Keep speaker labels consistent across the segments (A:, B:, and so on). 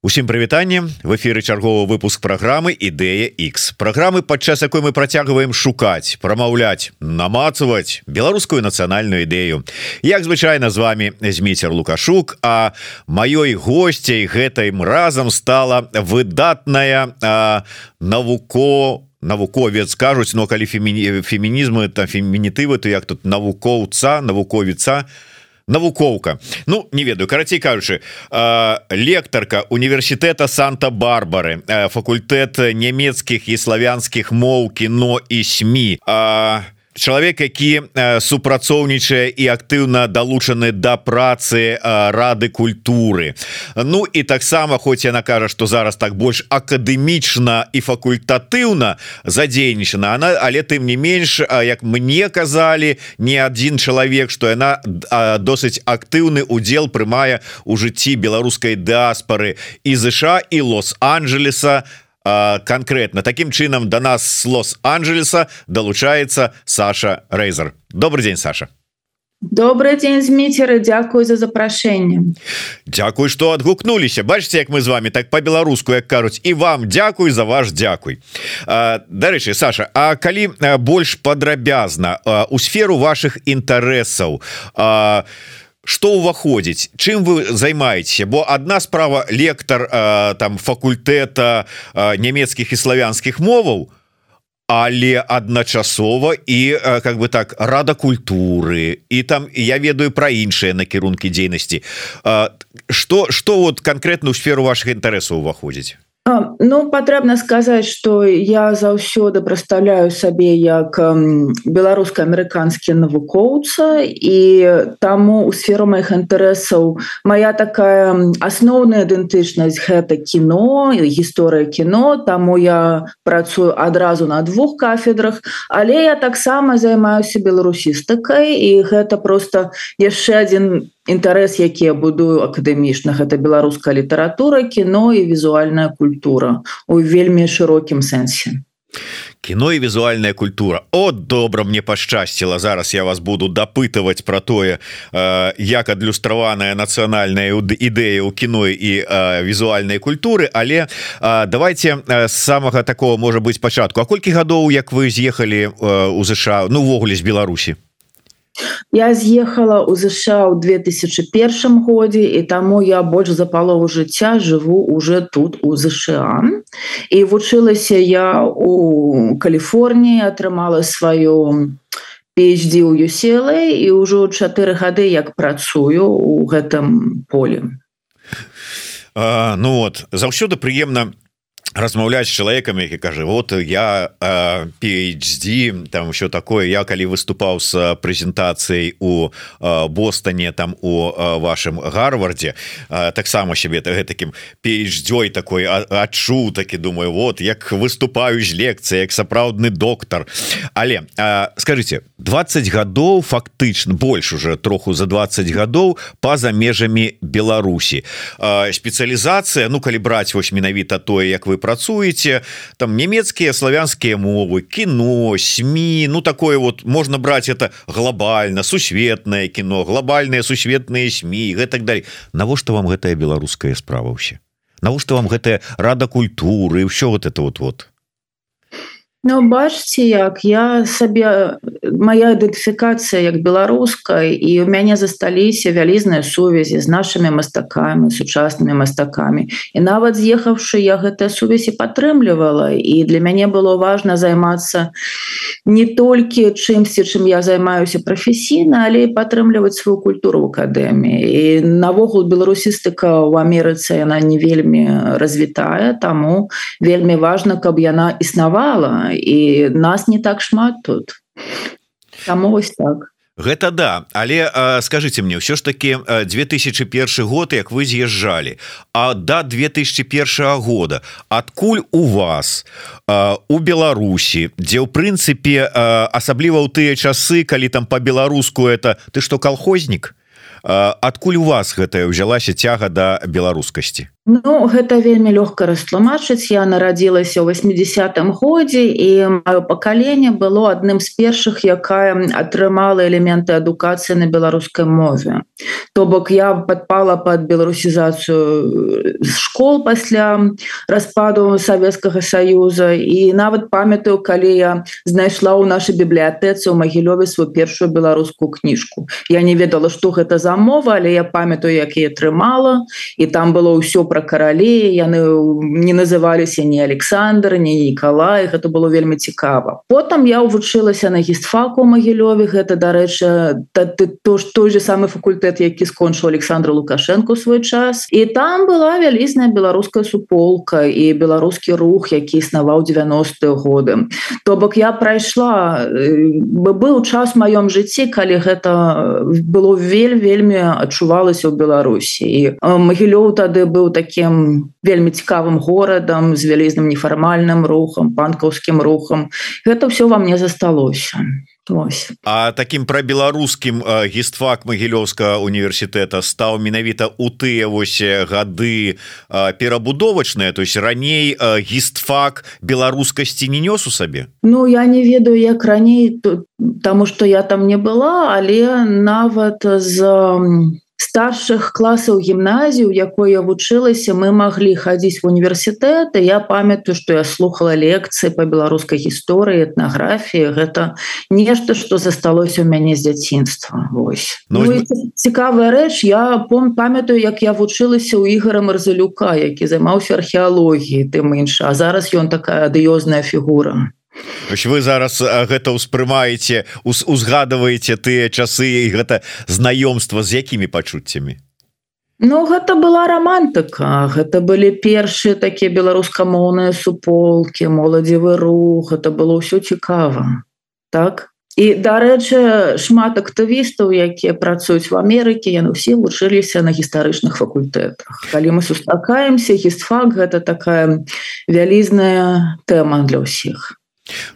A: Усім прывітанне, в эфіры чарговы выпуск праграмы Ідэя X. Праграмы, падчас якой мы працягваем шукаць, прамаўляць, намацаваць беларускую нацыянальную ідэю. Як звычайна з вами Зміцер Лукашук, а маёй госцяй гэтым разам стала выдатная навуковец, кажуць, но калі фемінізмы, там фемінітывы, то як тут навукоўца, навукоўка. Ну, не ведаю, карацей кажучы, лектарка універсітэта Санта-Барбары, факультэт нямецкіх і славянскіх моў, кіно і СМІ. Чалавек, які супрацоўнічае і актыўна далучаны да працы Рады культуры. Ну і таксама, хоць яна кажа, што зараз так больш акадэмічна і факультатыўна задзейнічана, але тым не менш, як мне казалі, не адзін чалавек, што яна досыць актыўны удзел прымае ў жыцці беларускай дыаспары і ЗША, і Лос-Анджелеса. Конкретно таким чынам до нас с Лос-Анджелеса долучается Саша Рейзер. Добрый день, Саша.
B: Добрый день, Зміцер, і дзякуй за запрашэнне.
A: Дзякуй, што адгукнуліся. Бачыце, як мы з вами так по-беларуску, як кажуць, і вам дзякуй за ваш дзякуй. Дарэчы, Саша, а калі больш падрабязна у сферу вашых інтарэсаў, што ўваходзіць, чым вы займаецеся? Бо адна справа лектар там факультэта нямецкіх і славянскіх моваў, але адначасова і как бы так Рада культуры, і там я ведаю пра іншыя накірункі дзейнасці. Што вот канкрэтна ў сферу вашых інтарэсаў уваходзіць?
B: Ну, патрэбна сказаць, што я заўсёды прадстаўляю сабе як беларуска-амерыканскі навукоўца, і таму ў сферу маіх інтарэсаў моя такая асноўная ідэнтычнасць — гэта кіно, гісторыя кіно, таму я працую адразу на двух кафедрах, але я таксама займаюся беларусістыкай, і гэта проста яшчэ адзін інтарэс, які я будую акадэмічна. Гэта беларуская літаратура, кіно і візуальная культура у вельмі шырокім сэнсе.
A: Кіно і візуальная культура. От добра, мне пашчасціла. Зараз я вас буду дапытаваць пра тое, як адлюстраваная нацыянальная ідэя ў кіно і візуальнай культуры, але давайте з самага такого, можа быць, пачатку. А колькі гадоў, як вы з'ехалі ў ЗША, ну, увогуле з Беларусі?
B: Я з'ехала ў ЗША ў 2001 годзе, і таму я больш за палову жыцця жыву уже тут у ЗША. І вучылася я у Каліфорніі, атрымала сваю PhD ў UCLA, і ўжо 4 гады як працую ў гэтым полі.
A: Ну вот, заўсёды прыемна размаўляць з чалавекам, які кажа, вот я PhD, там ўсё такое. Я калі выступаў з прэзентацыяй у Бостоне, там у вашым Гарвардзе, таксама сябе гэтакім PhD такой адчуў, такі думаю, вот як выступаю з лекцыяй, як сапраўдны доктар. Але скажыце, 20 гадоў фактычна, больш уже троху за 20 гадоў па-за межамі Беларусі. Спецыялізацыя, ну калі браць вось менавіта тое, як вы працуеце, там нямецкія, славянскія мовы, кіно, СМІ, ну такое вот, можна браць это глобальна, сусветнае кіно, глобальныя сусветныя СМІ, і гэтак далей. Навошта вам гэтая беларуская справа ўсе? Навошта вам гэтая Рада культуры і ўсё вот это вот?
B: Ну, бачыце, як я сабе, моя ідэнтыфікацыя як беларускай, і ў мяне засталіся вялізныя сувязі з нашымі мастакамі, сучаснымі мастакамі. І нават з'ехаўшы, я гэтыя сувязі падтрымлівала, і для мяне было важна займацца не толькі чымсьці, чым я займаюся прафесійна, але і падтрымліваць сваю культуру ў акадэміі. І навогул беларусістыка ў Амерыцы, яна не вельмі развітая, таму вельмі важна, каб яна існавала, і нас не так шмат тут. Таму вось так.
A: Гэта да, але скажыце мне, ўсё ж такі 2001 год, як вы з'язджалі, а да 2001 года адкуль у вас у Беларусі, дзе ў прынцыпе асабліва ў тыя часы, калі там по-беларуску это ты што, калхознік? Адкуль у вас гэтая ўзялася цяга да беларускасці?
B: Ну, гэта вельмі лёгка растлумачыць. Я нарадзілася ў 80-м годзе, і маё пакаленне было адным з першых, якая атрымала элементы адукацыі на беларускай мове. То бок я падпала пад беларусізацыю школ пасля распаду Савецкага Саюза, і нават памятаю, калі я знайшла ў нашай бібліятэцы ў Магілёве сваю першую беларускую кніжку. Я не ведала, што гэта за мова, але я памятаю, як я атрымала, і там было ўсё пра каралей, яны не называліся ні Александр, ні Нікалай, гэта было вельмі цікава. Потым я вучылася на гістфаку ў Магілёве, гэта, дарэчы, той же самы факультэт, які скончыў Александр Лукашенко ў свой час. І там была вялізная беларуская суполка і беларускі рух, які існаваў 90-е годы. То бок я прайшла, быў час у маём жыцці, калі гэта было вельмі адчувалася ў Беларусі. І Магілёў тады быў такім вельмі цікавым горадам з вялізным нефармальным рухам, панкаўскім рухам. Гэта ўсё во мне засталося. Ось.
A: А таким прабеларускім гістфак Магілёўскага універсітэта стаў менавіта ў тыя вось гады перабудовачныя, то есть раней гістфак беларускасці не нёс у сабе?
B: Ну, я не ведаю, як раней, таму што я там не была, але нават з старшых класаў гімназію, якой я вучылася, мы маглі хадзіць в універсітэт, і я памятаю, што я слухала лекцыі па беларускай гісторыі, этнаграфіі. Гэта нешта, што засталося ў мяне з дзяцінства. Вось. Ну, цікавая рэч, я памятаю, як я вучылася ў Ігора Марзалюка, які займаўся археалогіяй, тым інша, а зараз ён такая адыёзная фігура.
A: Вы зараз гэта ўспрымаеце, узгадываеце тыя часы і гэта знаёмства з якімі пачуццямі?
B: Ну, гэта была романтыка, гэта былі першыя такія беларускамоўныя суполкі, моладзевы рух, гэта было ўсё цікава. Так? І, дарэчы, шмат актывістаў, якія працуюць в Амерыке, яны ўсе вучыліся на гістарычных факультэтах. Калі мы сустракаемся, гістфак — гэта такая вялізная тэма для ўсіх.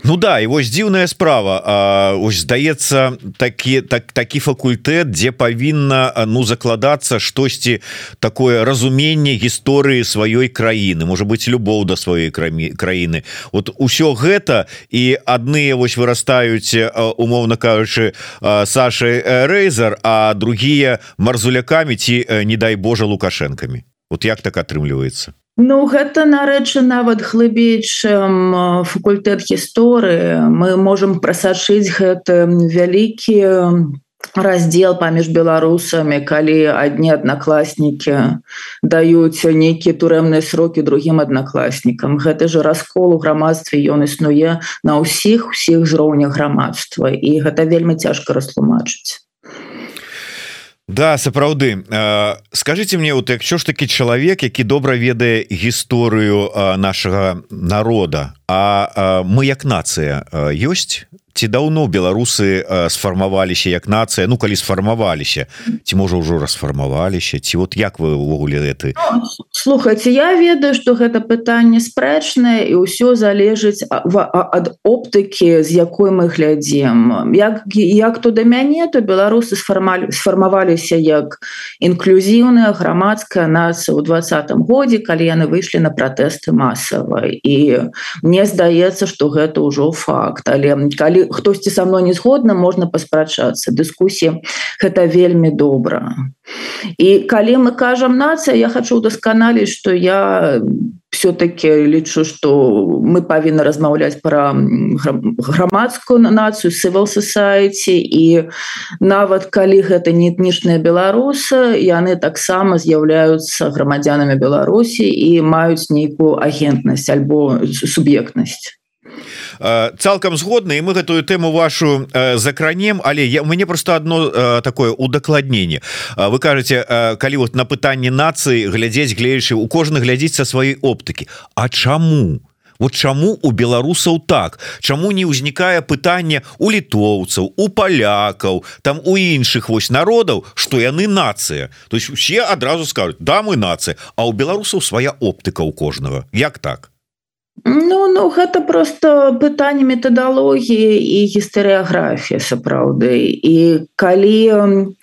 A: Ну да, і вось дзіўная справа. Ось здаецца, такі факультэт, дзе павінна закладацца штосьці такое разуменне гісторыі сваёй краіны, можа быць, любоў да сваёй краіны. Вот усё гэта, і адныя вось вырастаюць, умоўна кажучы, Сашай Рэйзар, а другія марзулякамі ці, не дай Божа, лукашэнкамі. Вот як так атрымліваецца?
B: Ну, гэта, нарэчы, нават глыбей, чым факультэт гісторыі. Мы можам прасачыць гэты вялікі раздзел паміж беларусамі, калі адні аднакласнікі даюць нейкія турэмныя срокі другім аднакласнікам. Гэты же раскол у грамадстве, ён існуе на ўсіх узроўнях грамадства, і гэта вельмі цяжка растлумачыць.
A: Да, сапраўды. Скажите мне, вот якщо ж таки чалавек, які добра ведае гісторыю нашага народа, а мы як нацыя ёсць? Ці даўно беларусы сфармаваліся як нацыя? Ну, калі сфармаваліся, ці можа ўжо расфармаваліся, ці вот як вы ўвогуле гэты?
B: Слухайце, я ведаю, што гэта пытанне спрэчнае, і ўсё залежыць ад оптыкі, з якой мы глядзім. Як то да мяне, то беларусы сфармаваліся як інклюзіўная грамадская нацыя ў 20-м годзе, калі яны выйшлі на пратэсты масава. І мне здаецца, што гэта ўжо факт. Але калі хтосьці са мной не згодна, можна паспрачацца. Дыскусія — гэта вельмі добра. І калі мы кажам нацыя, я хочу удасканаліць, што я все-таки лічу, што мы павінны размаўляць пра грамадскую нацыю, civil society, і нават калі гэта не этнічныя беларусы, яны таксама з'яўляюцца грамадзянамі Беларусі і маюць нейкую агентнасць альбо суб'ектнасць.
A: Цалкам згодны, і мы гэтую тэму вашу закранем, але у мяне просто одно такое удакладненне. Вы кажаце, калі вот на пытанне нацыі глядзець, у кожны глядзіць са сваёй оптыкі. А чаму? Вот чаму у беларусаў так? Чаму не ўзнікае пытанне у літоўцаў, у палякаў, там у іншых вось народаў, што яны нацыя? То есть усе адразу скажуць: да, мы нацыя, а у беларусаў свая оптыка у кожнага. Як так?
B: Ну, гэта просто пытанне метадалогіі і гістарыяграфіі, сапраўды. І калі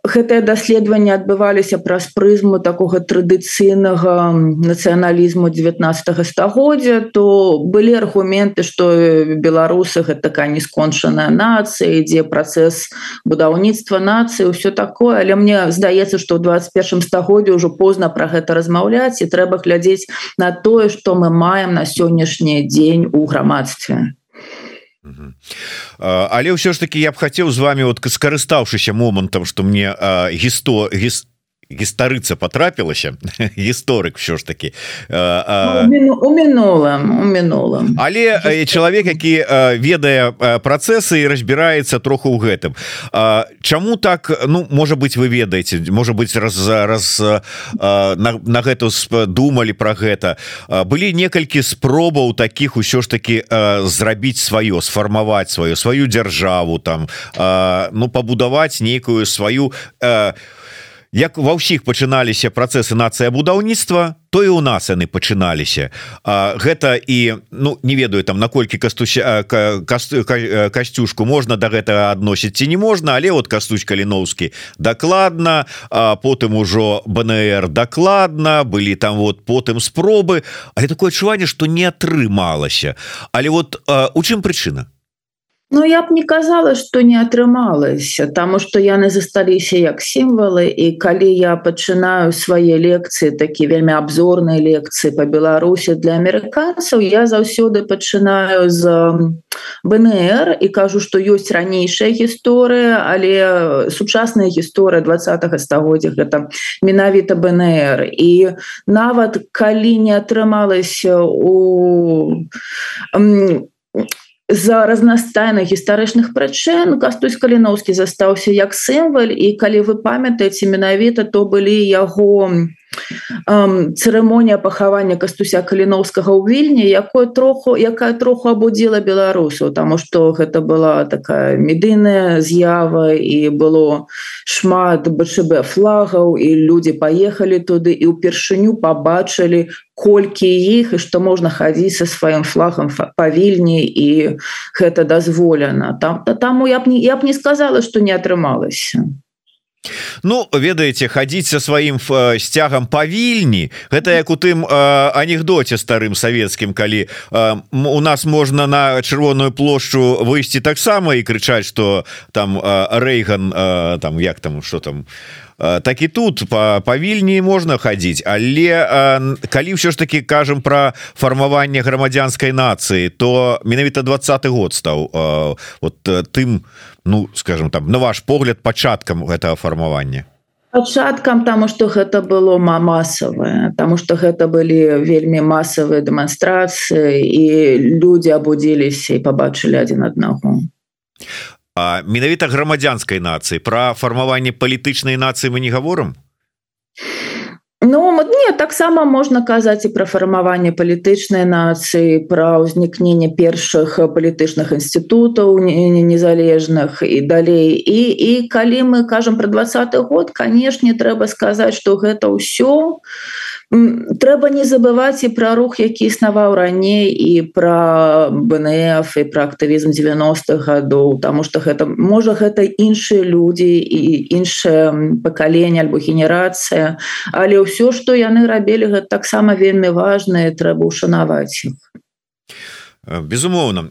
B: гэтыя даследаванні адбываліся праз прызму такога традыцыйнага нацыяналізму 19 стагоддзя, то былі аргументы, што беларусы гэта такая нескончаная нацыя, ідзе працэс будаўніцтва нацыі, ўсё такое, але мне здаецца, што ў 21 стагоддзі ўжо позна пра гэта размаўляць і трэба глядзець на тое, што мы маем на сённяшні дзень у грамадстве.
A: Але ўсё ж таки я б хацеў з вами вот скарыстаўшыся момантам, што мне гістарыца потрапілася гісторык все ж таки
B: у мінулым
A: але чалавек, які ведае працэсы і разбіраецца троху ў гэтым. Чаму так, ну можа быть вы ведаеце, можа быть на гэту думалі про гэта, былі некалькі спробаў таких ўсё ж таки зрабіць сваё, сфармаваць сваю дзяржаву там, ну пабудаваць нейкую сваю, як ва ўсіх пачыналіся працэсы нацыябудаўніцтва, то і у нас яны пачыналіся. Гэта і, ну не ведаю там наколькі Касцюшку можна да гэтага адносіць ці не можна, але вот Кастусь Каліноўскі дакладна, потым ужо БНР дакладна, былі там вот потым спробы, але такое адчуванне, што не атрымалася. Але вот у чым прычына?
B: Ну, я б не казала, што не атрымалася, таму што яны засталіся як сімвалы, і калі я пачынаю свае лекцыі, такі вельмі абзорныя лекцыі па Беларусі для амерыканцаў, я заўсёды пачынаю з БНР і кажу, што ёсць ранейшая гісторыя, але сучасная гісторыя 20 стагоддзя гэта менавіта БНР. І нават калі не атрымалася з-за разнастайных гістарычных прычын Кастусь Каліноўскі застаўся як сімвал, і калі вы памятаеце, менавіта то былі яго цырымонія пахавання Кастуся Каліноўскага ў Вільні, якая троху абудзіла беларусаў, таму што гэта была такая медыйная з'ява і было шмат БЧБ флагаў, і людзі паехалі туды і ўпершыню пабачылі колькі іх і што можна хадзіць са сваім флагам па Вільні, і гэта дазволена. Таму я б не сказала, што не атрымалася.
A: Ну ведаеце, хадзіць са сваім сцягам па Вільні, гэта як у тым анекдоце старым савецкім, калі у нас можна на Чырвоную плошчу выйсці таксама і крычаць, што там Рэйган там як там што там, так і тут па Вільні можна хадзіць. Але калі ўсё ж таки кажам пра фармаванне грамадзянскай нацыі, то менавіта 20-й год стаў вот тым, ну скажем там, на ваш погляд, пачаткам гэтага фармавання.
B: Пачаткам, таму што гэта было масавае, таму што гэта былі вельмі масавыя дэманстрацыі, і людзі абудзіліся і пабачылі адзін аднаго.
A: А менавіта грамадзянскай нацыі, пра фармаванне палітычнай нацыі мы не гаворым?
B: Ну, не, таксама можна казаць і пра фармаванне палітычнай нацыі, пра ўзнікненне першых палітычных інстытутаў незалежных і далей. І калі мы кажам пра 20-й год, канешне, трэба сказаць, што гэта ўсё. Трэба не забываць і пра рух, які існаваў раней, і пра БНФ, і пра актывізм 90-х гадоў, таму што гэта, можа, гэта іншыя людзі і іншае пакаленне альбо генерацыя, але ўсё, што яны рабілі, гэта таксама вельмі важна, і трэба ўшанаваць іх.
A: Безумоўна.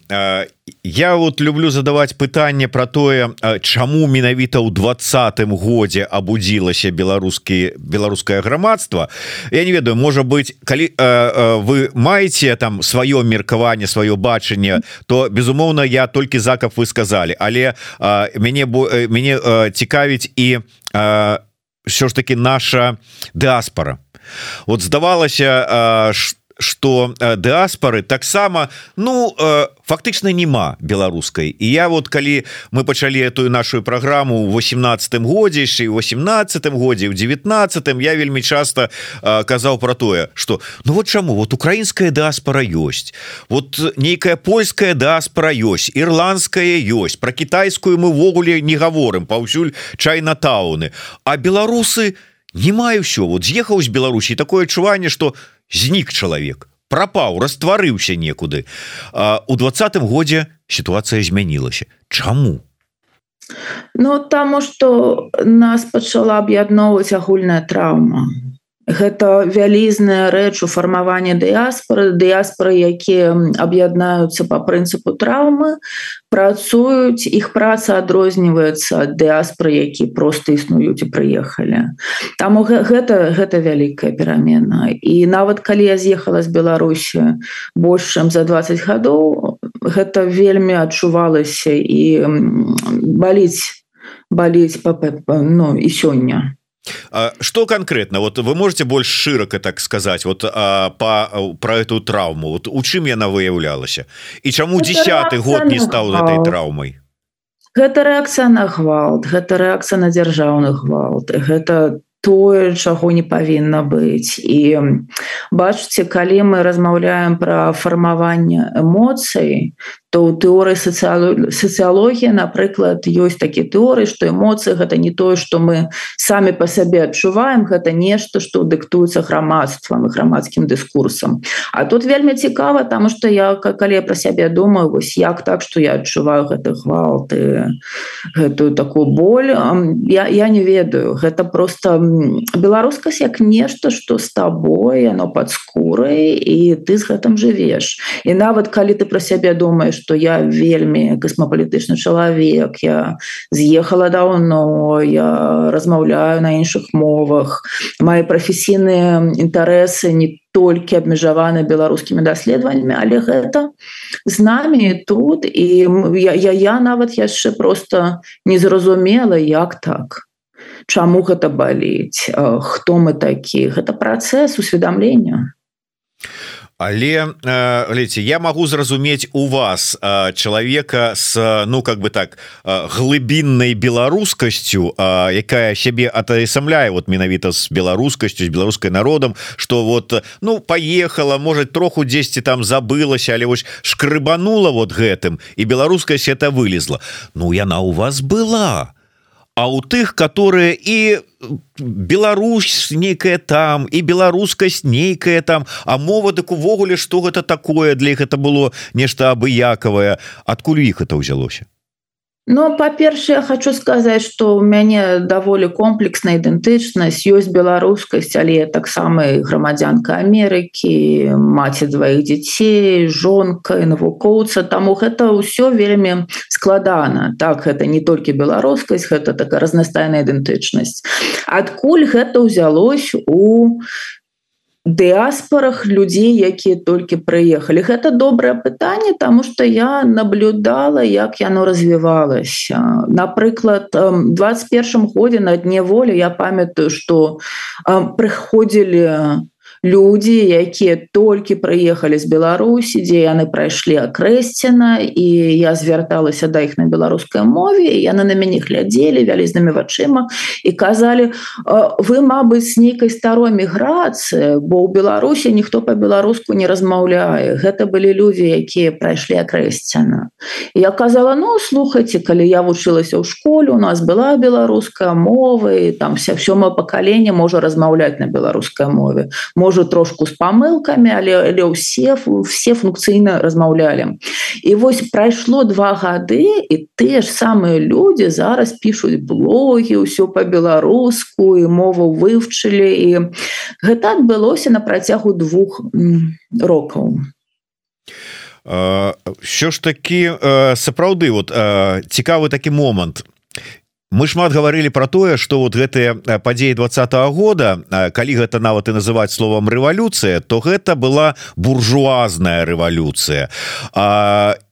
A: Я вот люблю задаваць пытанне пра тое, чаму менавіта ў 20-м годзе абудзілася беларускае грамадства. Я не ведаю, можа быть, калі вы маеце там сваё меркаванне, сваё бачанне, то безумоўна я толькі за, каб вы сказалі, але мяне цікавіць і ўсё ж таки наша дыаспара. Вот здавалася, што дыаспары таксама, ну фактычна нема беларускай. І я вот калі мы пачалі эту нашу праграму ў 18-м годзе, яшчэ ў 18-м годзе, ў 19-м, я вельмі часта казаў пра тое, што ну вот чаму, вот украінская дыаспара ёсць, вот нейкая польская дыаспара ёсць, ірландская ёсць, пра кітайскую мы ўвогуле не гаворым, паўсюль чайнатауны, а беларусы не маю ўсё. Вот з'ехаў з Беларусі, такое адчуванне, што знік чалавек, прапаў, растварыўся некуды. У 20-м годзе сітуацыя змянілася. Чаму?
B: Ну таму што нас пачала аб'ядноўваць агульная траўма. Гэта вялізная рэч у фармаванні дыяспоры, якія аб'яднаюцца па прынцыпу траўмы, працуюць, іх праца адрозніваецца ад дыяспоры, які проста існуюць і прыехалі. Таму гэта вялікая перамена. І нават калі я з'ехала з Беларусі больш чым за 20 гадоў, гэта вельмі адчувалася і баліць і сёння.
A: Что конкретно? Вот вы можете больше широко так сказать вот про эту травму? Вот у чым яна выяўлялася? І чаму 10-й год не стаў этой траўмай?
B: Гэта рэакцыя на гвалт, гэта рэакцыя на дзяржаўны гвалт, гэта тое, чаго не павінна быць. І бачыце, калі мы размаўляем пра фармаванне эмоцый, то ў тэорыі сацыялогіі, напрыклад, ёсць такі тэорыі, што эмоцыі гэта не тое, што мы самі па сабе адчуваем, гэта нешта, што дыктуецца грамадствам і грамадскім дыскурсам. А тут вельмі цікава, таму што калі я пра сябе думаю, вось як так, што я адчуваю гэты гвалт і гэтую такую боль, я не ведаю. Гэта проста беларускасць як нешта, што з табой, яно пад скурай, і ты з гэтым жывеш. І нават калі ты пра сябе думаеш, што я вельмі касмапалітычны чалавек, я з'ехала даўно, я размаўляю на іншых мовах, мае прафесійныя інтарэсы не толькі абмежаваны беларускімі даследаваннямі, але гэта з намі тут, і я нават яшчэ проста не зразумела, як так. Чаму гэта баліць, хто мы такі. Гэта працэс усведамлення.
A: Але глядзіце, я магу зразумець у вас чалавека з, ну как бы так, глыбіннай беларускасцю, якая сябе атаясамляе вот менавіта з беларускасцю, з беларускай народам, што вот, ну, паехала, можа, троху дзесьці там забылася, але вось шкрыбанула вот гэтым, і беларускасць это вылезла. Ну, яна у вас была. А у тых, которые і Беларусь нейкая там, і беларускасць нейкая там, а мова дык увогуле, што гэта такое, для іх это было нешта абыякавае. Адкуль у іх это ўзялося?
B: Ну, па-першае, я хочу сказаць, што ў мяне даволі комплексная ідэнтычнасць, ёсць беларускасць, але я таксама грамадзянка Амерыкі, маці дваіх дзяцей, жонка і навукоўца, таму гэта ўсё вельмі складана. Так, гэта не толькі беларускасць, гэта такая разнастайная ідэнтычнасць. Адкуль гэта ўзялось у дыаспорах людзей, якія толькі прыехалі? Гэта добрае пытанне, таму што я наблюдала, як яно развівалася. Напрыклад, у 21 годзе на дне волі я памятаю, што прыходзілі людзі, якія толькі прыехалі з Беларусі, дзе яны прайшлі акрэсціна, і я звярталася да іх на беларускай мове, і яны на мяне глядзелі вялізнымі вачыма і казалі: вы, мабыць, з нейкай старой міграцыі, бо ў Беларусі ніхто па-беларуску не размаўляе. Гэта былі людзі, якія прайшлі акрэсціна. І я казала: ну, слухайце, калі я вучылася ў школе, у нас была беларуская мова, і там сёмае пакаленне можа размаўляць на беларускай мове. Можа, трошку з памылкамі, але все функцыйна размаўлялі. І вось прайшло 2 гады, і тыя ж самыя людзі зараз пішуць блогі, ўсё па-беларуску, і мову вывчылі, і гэта адбылося на працягу 2 рокаў.
A: Що ж такі, сапраўды, вот цікавы такі момант. Мы шмат гаварылі пра тое, што вот гэтыя падзеі 20-го года, калі гэта нават і называць словам рэвалюцыя, то гэта была буржуазная рэвалюцыя.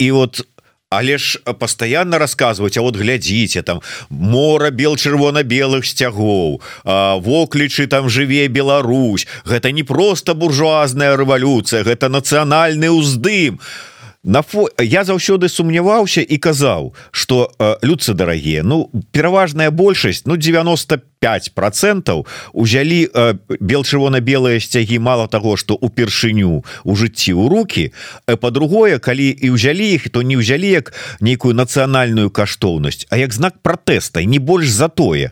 A: І вот, але ж пастаянна расказваюць: а вот глядзіце, там мора чырвона-белых сцягоў, воклічы, там жыве Беларусь. Гэта не проста буржуазная рэвалюцыя, гэта нацыянальны ўздым. Я заўсёды сумняваўся і казаў, што людцы дарагія, ну, пераважная большасць, ну, 95% узялі чырвона-белыя сцягі мала таго, што ўпершыню у жыцці ў рукі, па-другое, калі і ўзялі іх, то не ўзялі як нейкую нацыянальную каштоўнасць, а як знак пратэста, і не больш за тое.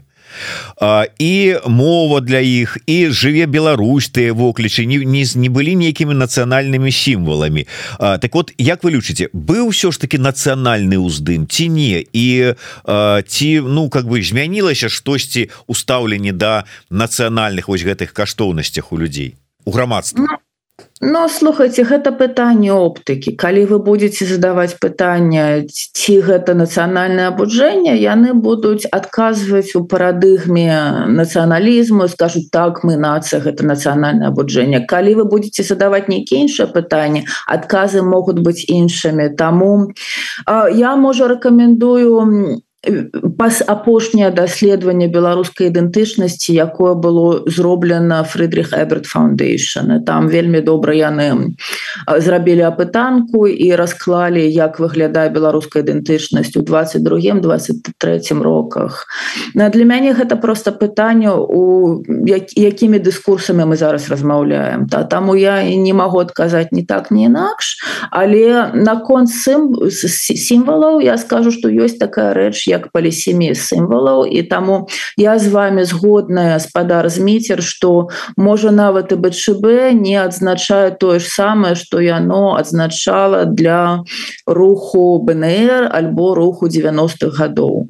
A: і мова для іх, і жыве Беларусь, тыя воклічы не былі нейкімі нацыянальнымі сімваламі. Так вот, як вы лічыце, быў ўсё ж таки нацыянальны ўздым ці не, і ці змянілася штосьці ў стаўленні да нацыянальных вось гэтых каштоўнасцях у людзей, у грамадства?
B: Ну, слухайте, гэта пытанне оптыкі. Калі вы будете задаваць пытанне, ці гэта нацыянальнае абуджэнне, яны будуць адказваць у парадыгме нацыяналізму, скажуць, так, мы нацыя, гэта нацыянальнае абуджэнне. Калі вы будете задаваць нейкія іншыя пытанні, адказы могуць быць іншымі. Таму я, можа, рэкамендую апошняе даследаванне беларускай ідэнтычнасці, якое было зроблена Фрыдрых Эберт Фаундейшн. Там вельмі добра яны зрабілі апытанку і расклалі, як выглядае беларуская ідэнтычнасць у 22-23 роках. Для мяне гэта проста пытанне, якімі дыскурсамі мы зараз размаўляем. Таму я не магу адказаць ні так, ні інакш, але наконт сімвалаў я скажу, што ёсць такая рэч, як полісемія сімвалаў, і таму я з вами згодная, спадар Зміцер, што можа нават і БЧБ не адзначае тое ж самае, што яно адзначала для руху БНР альбо руху 90-х гадоў.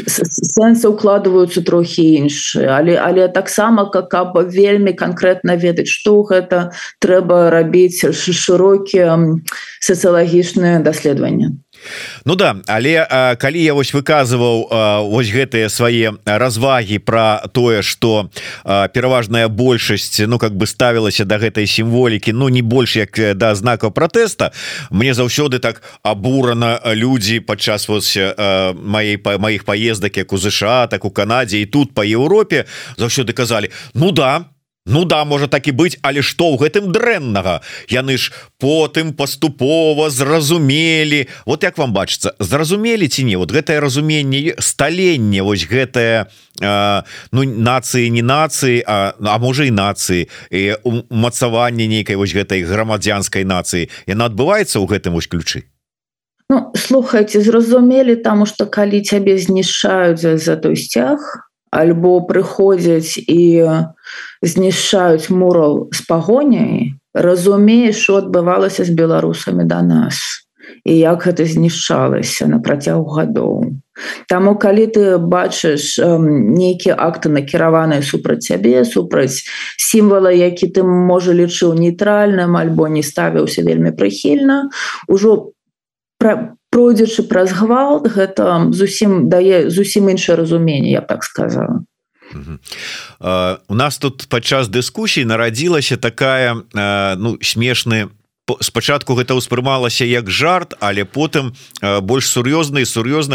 B: Сэнсы ўкладваюцца трохі іншыя, але таксама, каб вельмі канкрэтна ведаць, што гэта, трэба рабіць шырокія сацыялагічныя даследаванні.
A: Ну да, але калі я вось выказываў вось гэтыя свае развагі пра тое, што пераважная большасць ставілася да гэтай сімволікі, не больш як да знакаў пратэста, мне заўсёды так абурана людзі падчас маіх паездак як у ЗША, так у Канадзе і тут па Еўропе заўсёды казалі: Ну да, можа так і быць, але што ў гэтым дрэннага? Яны ж потым паступова зразумелі. Вот як вам бачыцца, зразумелі ці не? Вот гэтае разуменне, сталенне, вось гэтае нацыі, не нацыі, а можа і нацыі, і умацаванне нейкай вось гэтай грамадзянскай нацыі, яна адбываецца ў гэтым вось ключы?
B: Ну, слухайце, зразумелі, таму што калі цябе знішчаюць за той сцяг, альбо прыходзяць і знішчаюць мурал з пагоняй, разумееш, што адбывалася з беларусамі да нас і як гэта знішчалася на працягу гадоў. Таму калі ты бачыш нейкія акты накіраваныя супраць цябе, супраць сімвала, які ты, можа, лічыў нейтральным альбо не ставіўся вельмі прыхільна, ужо пройдзячы праз гвалт, гэта дае зусім іншае разуменне, я б так сказала.
A: У нас тут падчас дыскусій нарадзілася такая смешны. Спачатку гэта ўспрымалася як жарт, але потым больш сур'ёзна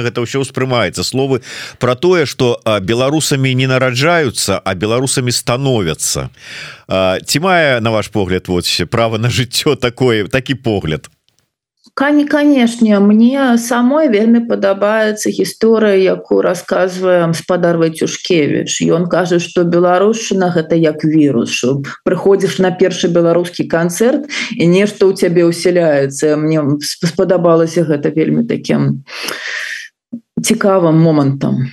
A: гэта ўсё ўспрымаецца. Словы пра тое, што беларусамі не нараджаюцца, а беларусамі становяцца. Ці мае, на ваш погляд, права на жыццё такі погляд?
B: Канешне, мне самой вельмі падабаецца гісторыя, якую расказвае спадар Вайцюшкевіч. Ён кажа, што беларушчына гэта як вірус, што прыходзіш на першы беларускі канцэрт і нешта ў цябе ўсяляецца. Мне спадабалася гэта вельмі такім цікавым момантам.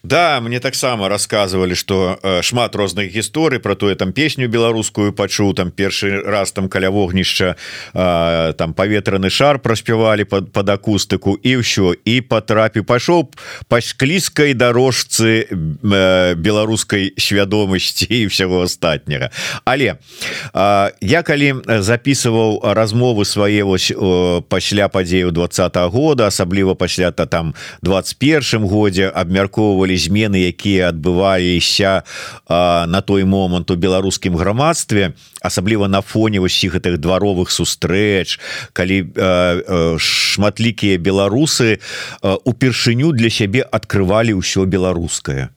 A: Да, мне таксама рассказывали, что шмат розных гісторый про тое, там песню беларускую пачуў, там першы раз там каля вогнішча там паветраны шар праспявалі под акустыку і ўсё, і пайшоў па склізкай дарожцы беларускай свядомасці і ўсяго астатняга. Але я калі записываў размовы свае пасля падзеяў 20-го года, асабліва пасля там 21-м годзе, абмяркоўвалі змены, якія адбываліся на той момант у беларускім грамадстве, асабліва на фоне ўсіх гэтых дваровых сустрэч, калі шматлікія беларусы упершыню для сябе адкрывалі ўсё беларускае.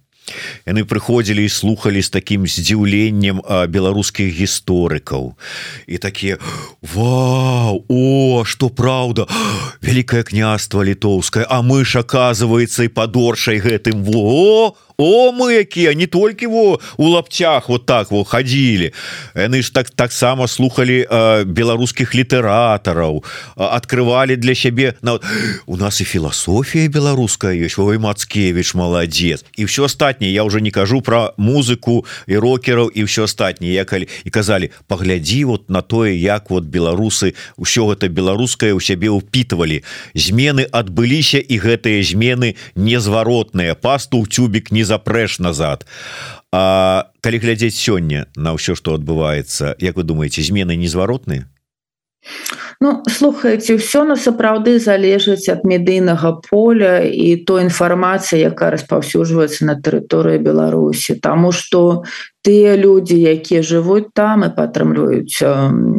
A: Яны прыходзілі і слухалі з такім здзіўленнем беларускіх гісторыкаў і такія: вау, што праўда, Вялікае княства літоўскае, а мы ж, аказваецца, і падоршай гэтым, о, мы якія не толькі во у лапцях вот так во ходили, яны ж таксама слухали беларускіх літаратараў, открывали для сябе у нас і філасофія беларуская ёсць, ой, Мацкевич молодец, і все астатняе, я уже не кажу про музыку і рокераў і все астатняе, і казали, паглядзі вот на тое, як вот беларусы ўсё гэта беларускае у сябе ўпітвалі, змены адбыліся, і гэтыя змены незваротныя, пасту ў цюбік не запрэш назад. А калі глядзець сёння на ўсё, што адбываецца, як вы думаеце, змены незваротныя?
B: Ну, слухайте, все насапраўды залежыць ад медыйнага поля і той інфармацыі, якая распаўсюджваецца на тэрыторыі Беларусі, таму што тыя людзі, якія жывуць там і падтрымліваюць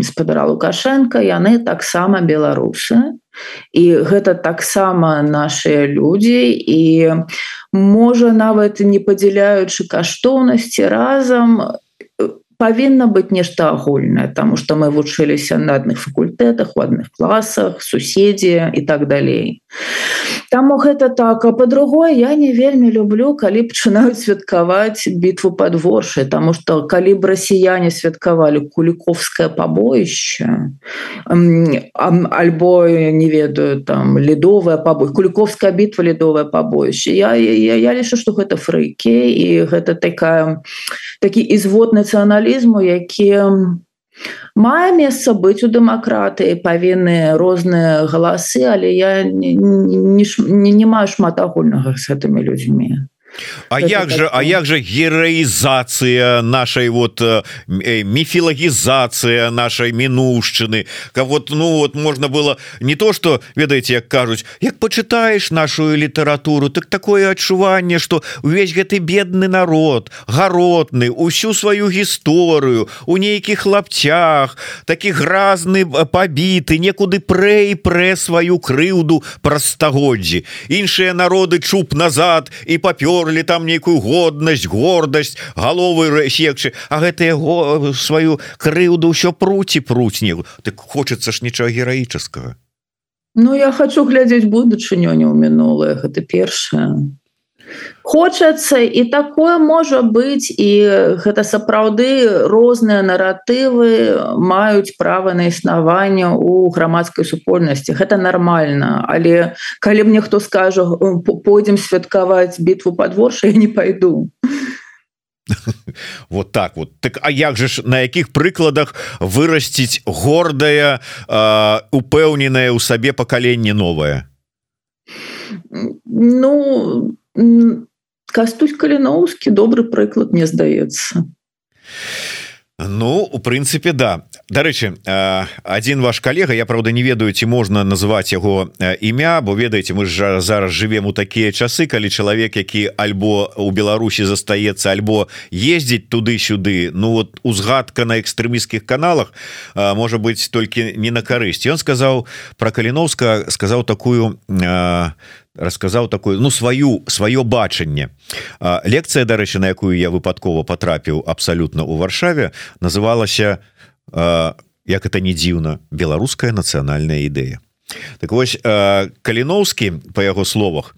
B: гаспадара Лукашенка, яны таксама беларусы, і гэта таксама нашыя людзі, і можа нават не падзяляючы каштоўнасці, разам павінна быць нешта агульнае, таму што мы вучыліся на адных факультэтах, у адных класах, суседзі і так далей. Таму гэта так. А па-другое, я не вельмі люблю, калі пачынаюць святкаваць бітву пад Воршай, таму што калі б расіяне святкавалі Куліковскае пабоішча, альбо, не ведаю, там, ледовае пабоішча, Куліковская бітва, ледовае пабоішча, я лічу, што гэта фрыкі, і гэта такі ізвод нацыяналізму, які мае месца быць у дэмакратыі, павінны розныя галасы, але я не маю шмат агульнага з гэтымі людзьмі.
A: А як же героизация нашей вот мифологизация нашей минувшчыны, вот, ну вот можно было не то, что, ведаеце, як кажуць, як почитаешь нашу литературу, так такое адчуванне, что увесь гэты бедны народ, гаротны, усю сваю гісторыю у нейкіх лапцях, такі гразны, пабіты, некуды прэ сваю крыўду праз стагоддзі. Іншыя народы чуб назад і папёр там нейкую годнасць, гордасць, галовы секчы, а гэтыя сваю крыўду ўсё пруць не. Так хочется ж нічога гераічаскага.
B: Ну, я хочу глядзець будучыню, не ў мінулае, гэта першае. Хочацца, і такое можа быць, і гэта сапраўды розныя наратывы маюць права на існаванне ў грамадскай супольнасці. Гэта нармальна, але калі мне хто скажа, пойдзем святкаваць бітву пад Воршай, я не пайду.
A: Вот так вот. Так, а як же ж, на якіх прыкладах вырасціць гордае, упэўненае ў сабе пакаленне новае?
B: Ну, Кастусь Каліноўскі добры прыклад, мне здаецца.
A: Ну, у прынцыпе, да. Дарэчы, адзін ваш калега, я, правда, не ведаю, ці можна назваць яго імя, бо, ведаеце, мы ж зараз жывем у такія часы, калі чалавек, які альбо ў Беларусі застаецца, альбо ездзіць туды-сюды, ну, вот узгадка на экстрэмісцкіх каналах можа быць толькі не на карысць. Ён сказаў пра Каліноўска, расказаў такое, ну, сваё бачанне. Лекцыя, дарэчы, на якую я выпадкова патрапіў абсалютна ў Варшаве, называлася, як это не дзіўна, беларуская нацыянальная ідэя. Так вось, Каліноўскі, па яго словах,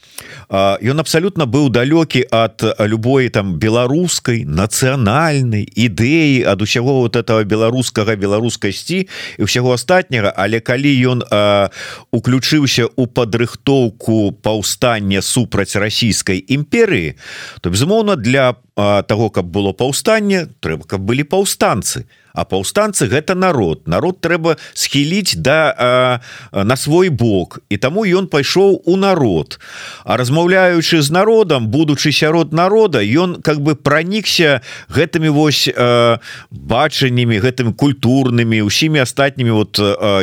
A: ён абсалютна быў далёкі ад любой там беларускай нацыянальнай ідэі, ад усяго вот этого беларускасці і ўсяго астатняга, але калі ён уключыўся ў падрыхтоўку паўстання супраць расійскай імперыі, то, безумоўна, для таго, каб было паўстанне, трэба, каб былі паўстанцы. А паўстанцы гэта народ трэба схіліць на свой бок, і таму ён пайшоў у народ, а размаўляючы з народам, будучы сярод народа, ён как бы пранікся гэтымі вось бачаннямі, гэтымі культурнымі, усімі астатнімі, вот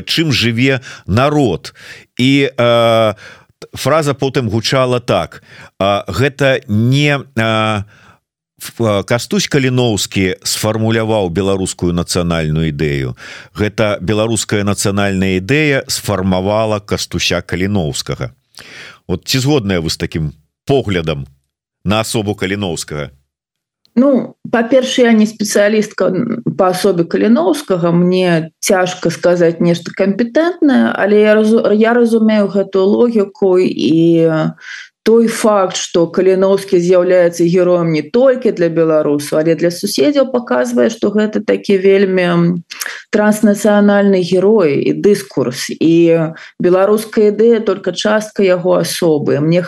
A: чым жыве народ. І фраза потым гучала так: гэта не Кастусь Каліноўскі сфармуляваў беларускую нацыянальную ідэю. Гэта беларуская нацыянальная ідэя сфармавала Кастуся Каліноўскага. Вот ці згодныя вы з такім поглядам на асобу Каліноўскага?
B: Ну, па-першае, я не спецыялістка па асобе Каліноўскага, мне цяжка сказаць нешта кампетэнтнае, але я разумею гэтую логіку і той факт, что Каліновскі з'яўляецца героем не толькі для беларусаў, але для суседзяў, показвае, что гэта такі вельмі транснацыянальны герой і дыскурс, і беларуская ідэя только частка яго асобы. Мне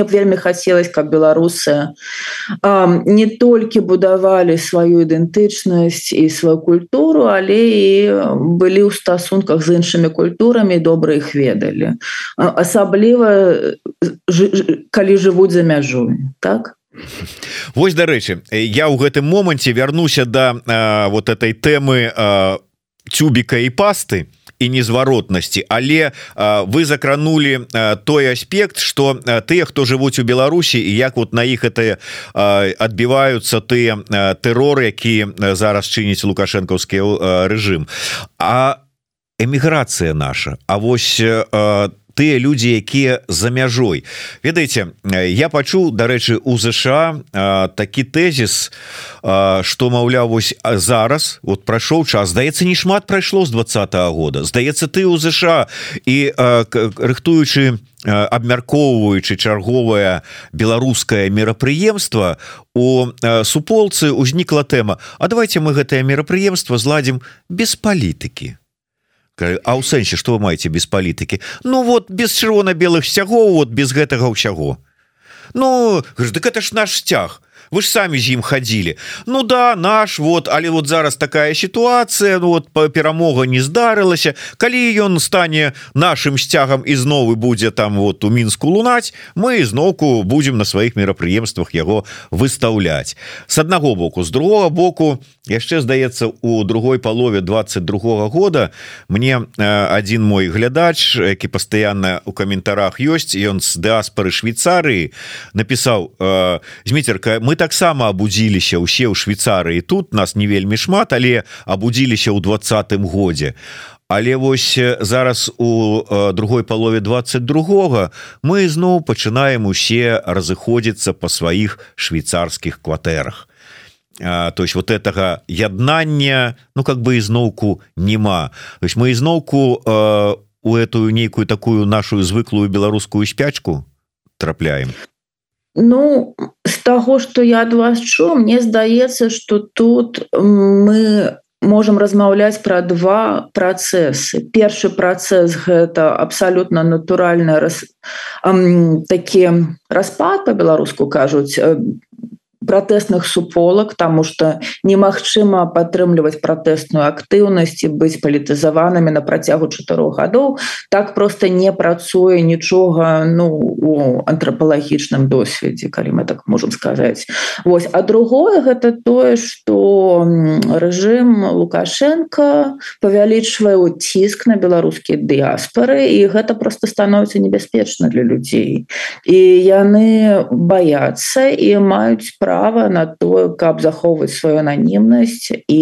B: вельмі хацелось, каб беларусы не толькі будавалі сваю ідэнтычнасць і сваю культуру, але і былі ў стасунках з іншымі культурамі, добра іх ведалі, асабліва калі жывуць за мяжой, так?
A: Вось, дарэчы, я ў гэтым моманце вярнуся да вот этой тэмы цюбіка і пасты і незваротнасці, але вы закранули той аспект, что тыя, хто жывуць у Беларусі, і як вот на іх это адбіваюцца тыя тэроры, які зараз чыніць лукашэнкаўскі рэжым. А эміграцыя наша, а вось тыя людзі, якія за мяжой. Ведаеце, я пачуў, дарэчы, у ЗША такі тэзіс, што, маўляў, вось зараз вот прайшоў час, здаецца, не шмат прайшло з 20-го года. Здаецца, ты у ЗША і рыхтуючы, абмяркоўваючы чарговае беларускае мерапрыемства, у суполцы узнікла тэма: а давайте мы гэтае мерапрыемства зладзім без палітыкі. А ў сэнсе, што вы маеце без палітыкі? Ну вот, без чырвона-белых сцягоў, вот без гэтага ўсяго. Ну, дык это ж наш сцяг. Вы ж самі з ім хадзілі. Ну да, наш, вот, але вот зараз такая сітуацыя, ну вот перамога не здарылася. Калі ён стане нашым сцягам і зноў будзе там вот у Мінску лунаць, мы зноўку будзем на сваіх мерапрыемствах яго выстаўляць. С аднаго боку, з другога боку, яшчэ, здаецца, у другой палове 22-го года мне адзін мой глядач, які пастаянна ў каментарах ёсць, ён з дыаспары Швейцарыі, напісаў: Зміцерка, мы таксама абудзіліся ўсе ў Швейцарыі, тут нас не вельмі шмат, але абудзіліся ў 20-м годзе. Але вось зараз у другой палове 22-го мы зноў пачынаем усе разыходзіцца па сваіх швейцарскіх кватэрах. То есть вот этого яднання, ну как бы изноўку нема. То есть мы изноўку у эту нейкую такую нашу звыклую беларускую спячку трапляем.
B: Ну, з таго, што я ад вас чуў, мне здаецца, што тут мы можам размаўляць пра два працэсы. Першы працэс — гэта абсалютна натуральны такі распад, па-беларуску кажуць, пратэсных суполак, таму што немагчыма падтрымліваць пратэсную актыўнасць і быць палітызаванымі на працягу 4 гадоў. Так проста не працуе нічога, ну, у антрапалагічным досведзе, калі мы так можам сказаць. Вось. А другое — гэта тое, што рэжым Лукашенка павялічвае ціск на беларускія дыяспары, і гэта проста становіцца небяспечна для людзей. І яны баяцца і маюць права на тое, каб захоўваць сваю ананімнасць і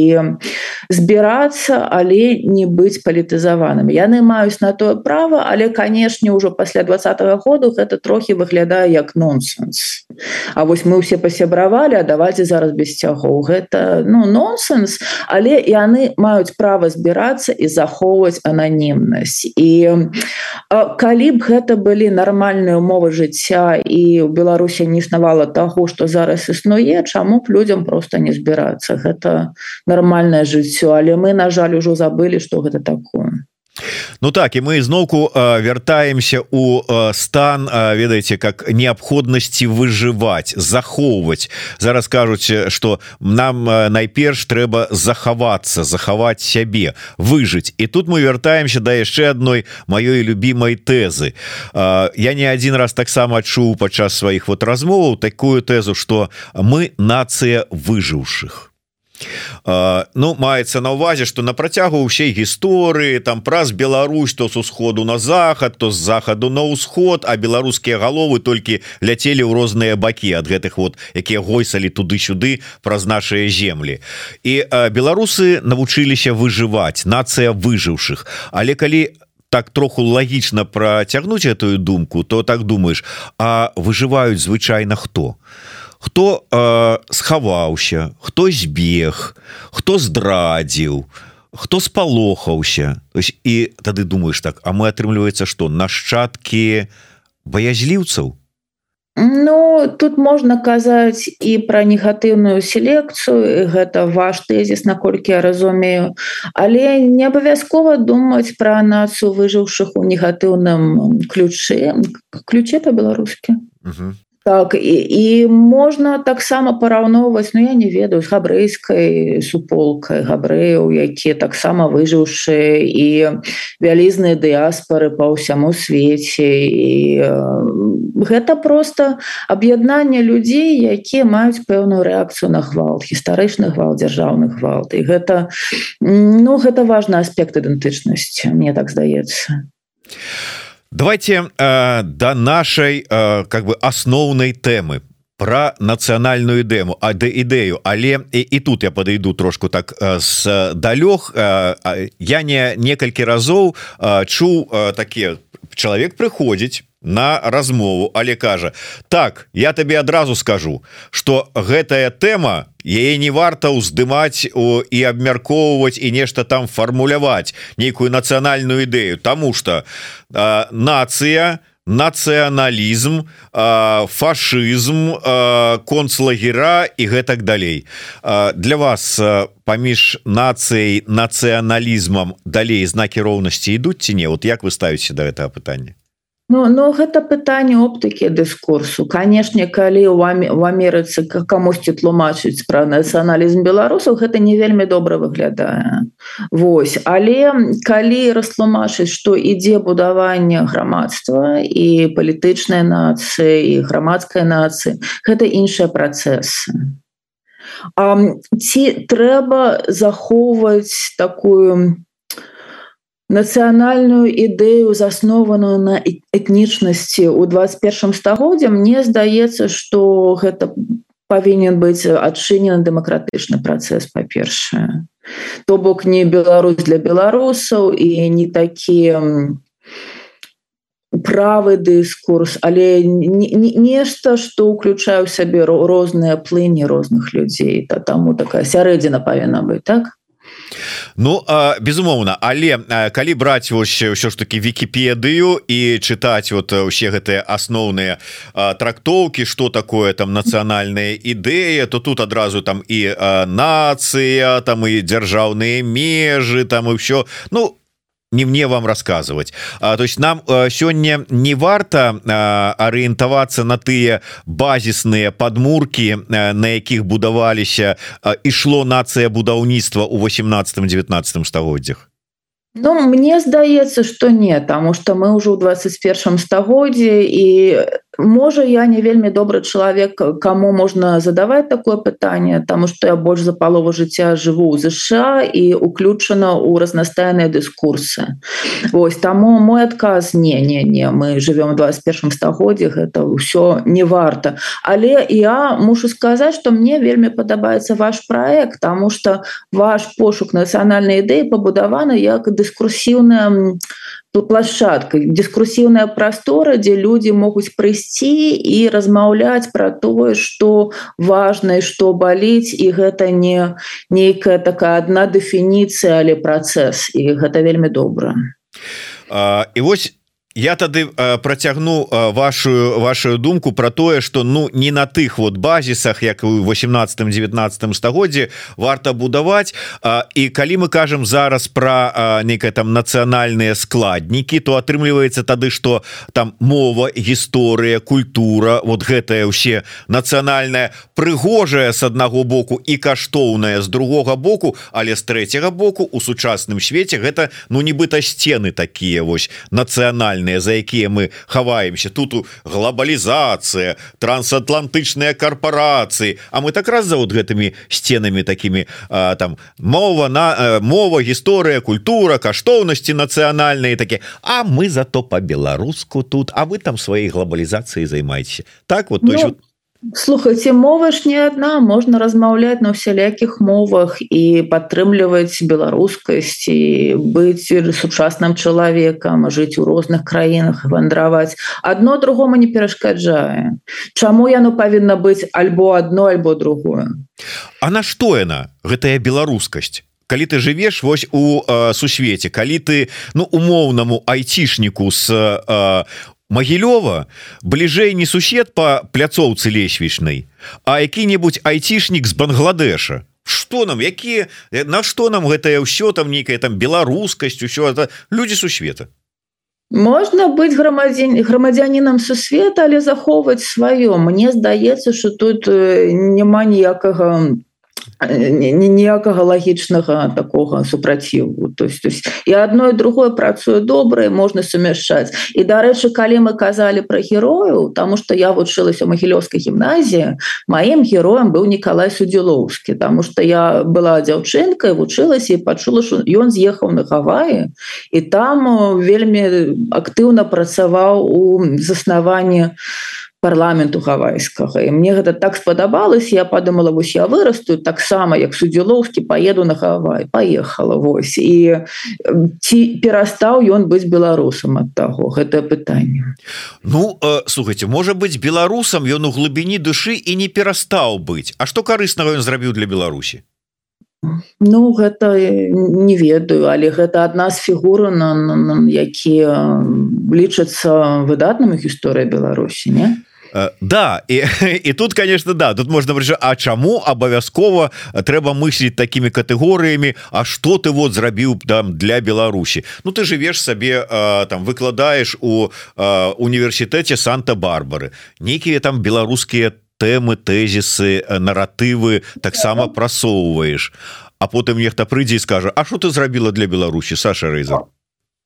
B: збірацца, але не быць палітызаванымі. Яны маюць на тое права, але, канешне, ўжо пасля 20-го году гэта трохі выглядае як нонсенс. А вось мы ўсе пасябравалі, а давайце зараз без сцягоў. Гэта, ну, нонсенс, але яны маюць права збірацца і захоўваць ананімнасць. І калі б гэта былі нармальныя ўмовы жыцця і ў Беларусі не існавала таго, што зараз існуе, чаму б людзям проста не збірацца? Гэта нармальнае жыццё, але мы, на жаль, ужо забылі, што гэта такое.
A: Ну так, і мы зноўку вяртаемся у стан, ведаеце, как неабходнасці выжываць, захоўваць. Зараз кажуць, што нам найперш трэба захавацца, захаваць сябе, выжыць. І тут мы вяртаемся да яшчэ адной маёй любімай тэзы. Я не адзін раз таксама чуў падчас сваіх вот размоваў такую тэзу, што мы нацыя выжыўшых. Ну, маецца на ўвазе, што на працягу ўсей гісторыі там праз Беларусь то з усходу на захад, то з захаду на ўсход, а беларускія галовы толькі ляцелі ў розныя бакі ад гэтых вот, якія гойсалі туды-сюды праз нашыя землі. І беларусы навучыліся выжываць, нацыя выжыўшых. Але калі так троху лагічна працягнуць этую думку, то так думаеш, а выжываюць звычайна хто? Хто схаваўся, хто збег, хто здрадзіў, хто спалохаўся. І тады думаеш так, а мы, атрымліваецца, што нашчадкі баязліўцаў?
B: Ну, тут можна казаць і пра негатыўную селекцыю, гэта ваш тэзіс, наколькі я разумею, але не абавязкова думаць пра нацыю выжыўшых у негатыўным ключе па-беларускі. Так, і можна таксама параўноўваць, ну я не ведаю, з габрэйскай суполкай габрэяў, якія таксама выжыўшыя і вялізныя дыяспары па ўсяму свеце. І гэта проста аб'яднанне людзей, якія маюць пэўную рэакцыю на гвалт, гістарычны гвалт, дзяржаўны гвалт. І гэта важны аспект ідэнтычнасці, мне так здаецца.
A: Давайте до нашей как бы асноўнай тэмы про нацыянальную ідэю, але і тут я подойду трошку так здалёг. Я некалькі разоў чуў такі чалавек прыходзіць на размову, але кажа: так, я табе адразу скажу, что гэтая тэма, яе не варта ўздымаць і абмяркоўваць і нешта там фармуляваць, нейкую нацыянальную ідэю, тому что нацыя, нацыяналізм, фашызм, концлагера і гэтак далей. Для вас паміж нацыяй, нацыяналізмам далей знакі роўнасці ідуць ці не? Вот як вы ставіце да гэтага пытання?
B: Ну, гэта пытанне оптыкі дыскурсу. Канешне, калі ў Амерыцы камусьці тлумачыць пра нацыяналізм беларусаў, гэта не вельмі добра выглядае. Вось. Але калі растлумачыць, што ідзе будаванне грамадства і палітычнай нацыі, і грамадскай нацыі, гэта іншыя працэсы. Ці трэба захоўваць такую нацыянальную ідэю, заснованую на этнічнасці ў 21 стагоддзі? Мне здаецца, што гэта павінен быць адчынены дэмакратычны працэс, па-першае. То бок не Беларусь для беларусаў і не такі правы дыскурс, але нешта, што ўключае ў сабе розныя плыні розных людзей. Таму такая сярэдзіна павінна быць, так?
A: Ну, безумоўна, але калі браць ўсё ж таки Вікіпедыю і чытаць вот усе гэтыя асноўныя трактоўкі, што такое там нацыянальная ідэя, то тут адразу там і нацыя, там і дзяржаўныя межы, там і ўсё, ну, не мне вам рассказывать. То есть нам сёння не варта арыентавацца на тыя базісныя падмуркі, на якіх будаваліся, ішло нацыя будаўніцтва ў 18-19 стагоддзях.
B: Ну, мне здаецца, што не, таму што мы ўжо ў 21 стагоддзі, і можа я не вельмі добры чалавек, каму можна задаваць такое пытанне, таму што я больш за палову жыцця жыву ў ЗША і уключана ў разнастайныя дыскурсы. Вось, таму мой адказ не, мы жывём у 21 стагоддзі, гэта ўсё не варта. Але я мушу сказаць, што мне вельмі падабаецца ваш праект, таму што ваш пошук нацыянальнай ідэі пабудаваны як дыскурсіўная плашчадка, дыскурсіўная прастора, дзе людзі могуць прыйсці і размаўляць пра тое, што важна і што баліць, і гэта не нейкая такая адна дэфініцыя, але працэс, і гэта вельмі добра.
A: І вось я тады працягну вашу думку про тое, что ну не на тых вот базісах, як у 18-19 стагоддзі варта будаваць. І калі мы кажам зараз про некае там нацыянальныя складнікі, то атрымліваецца тады, что там мова, гісторыя, культура, вот гэтае ўсе нацыянальная прыгожая с аднаго боку і каштоўная з другога боку, але з трэцяга боку у сучасным свеце гэта ну нібыта сцены такія вось нацыянальныя, за якія мы хаваемся. Тут глобалізацыя, трансатлантычныя карпорацыі, а мы так раз за вот гэтымі сценамі такімі там мова, гісторыя, культура, каштоўнасці нацыянальныя такі, а мы зато по-беларуску тут, а вы там сваёй глобалізацыяй займаецеся. Так вот, то есть вот.
B: Слухайте, мова ж не одна, можна размаўляць на усялякіх мовах і падтрымліваць беларускасць і быць сучасным чалавекам, жыць у розных краінах, вандраваць. Адно другому не перашкаджае. Чаму яно павінна быць альбо адно, альбо другое?
A: А на што яна, гэтая беларускасць? Калі ты жывеш вось у сусвеце, калі ты ну умоўнаму айцішніку з Магілёва бліжэй не сусед по пляцоўцы лесвічнай, а які-небудзь айцішнік з Бангладеша. Что нам, якія, на што нам гэтае ўсё там нейкая там беларускасць, усё это людзі сусвета.
B: Можна быць грамадзянінам сусвета, але захоўваць сваё. Мне здаецца, што тут няма ніякага лагічнага такога супраціву. То есть і адно і другое працуе добра, можна сумяшчаць. І, дарэчы, калі мы казалі пра герояў, таму што я вучылася ў Магілёўскай гімназіі, маім героем быў Нікалай Судзілоўскі, таму што я была дзяўчынкай, вучылася і пачула, што ён з'ехаў на Гаваі, і там вельмі актыўна працаваў у заснаванні парламенту гавайскага. І мне гэта так спадабалася, я падумала, вось я вырасту таксама, як Судзілоўскі, паеду на Гавай. Паехала, вось. І ці перастаў ён быць беларусам ад таго? Гэтае пытанне.
A: Ну, слухайте, можа быць беларусам ён у глыбіні душы і не перастаў быць. А што карыснага ён зрабіў для Беларусі?
B: Ну, гэта не ведаю, але гэта адна з фігур, якія лічацца выдатнымі гісторыі Беларусі, не?
A: Да, і тут, конечно, да, тут можна прыйшаць, а чаму абавязкова трэба мысліць такімі катэгорыямі, а што ты вот зрабіў там для Беларусі? Ну, ты жывеш сабе, там, выкладаеш у універсітэце Санта-Барбары, нейкія там беларускія тэмы, тэзісы, наратывы таксама прасоўваеш, а потым нехта прыйдзе і скажа, а што ты зрабіла для Беларусі, Саша Рэйзер?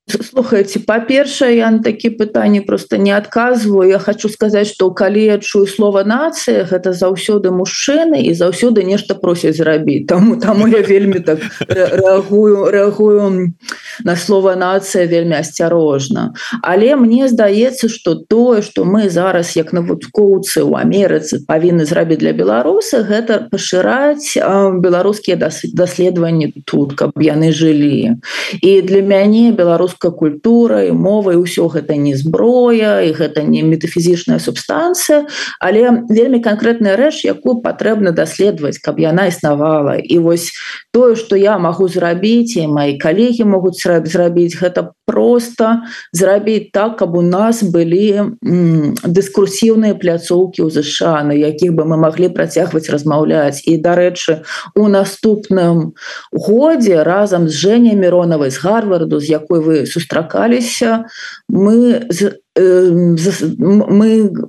B: Слухайте, па-першае, я на такія пытанні просто не адказваю. Я хочу сказаць, што калі я чую слова нацыя, гэта заўсёды мужчыны і заўсёды нешта просяць зрабіць. Таму я вельмі так рэагую на слова нацыя вельмі асцярожна. Але мне здаецца, што тое, што мы зараз як навукоўцы ў Амерыцы павінны зрабіць для беларуса, гэта пашыраць беларускія даследаванні тут, каб яны жылі. І для мяне беларуская культура і мова, і ўсё гэта не зброя, і гэта не метафізічная субстанцыя, але вельмі канкрэтная рэч, якую патрэбна даследаваць, каб яна існавала. І вось тое, што я магу зрабіць, і мои калегі могуць зрабіць, гэта просто зрабіць так, каб у нас былі дыскурсіўныя пляцоўкі ў ЗША, на якіх бы мы маглі працягваць размаўляць. І, дарэчы, у наступным годзе разам з Жэняй Міронавай з Гарварду, з якой вы сустракаліся, мы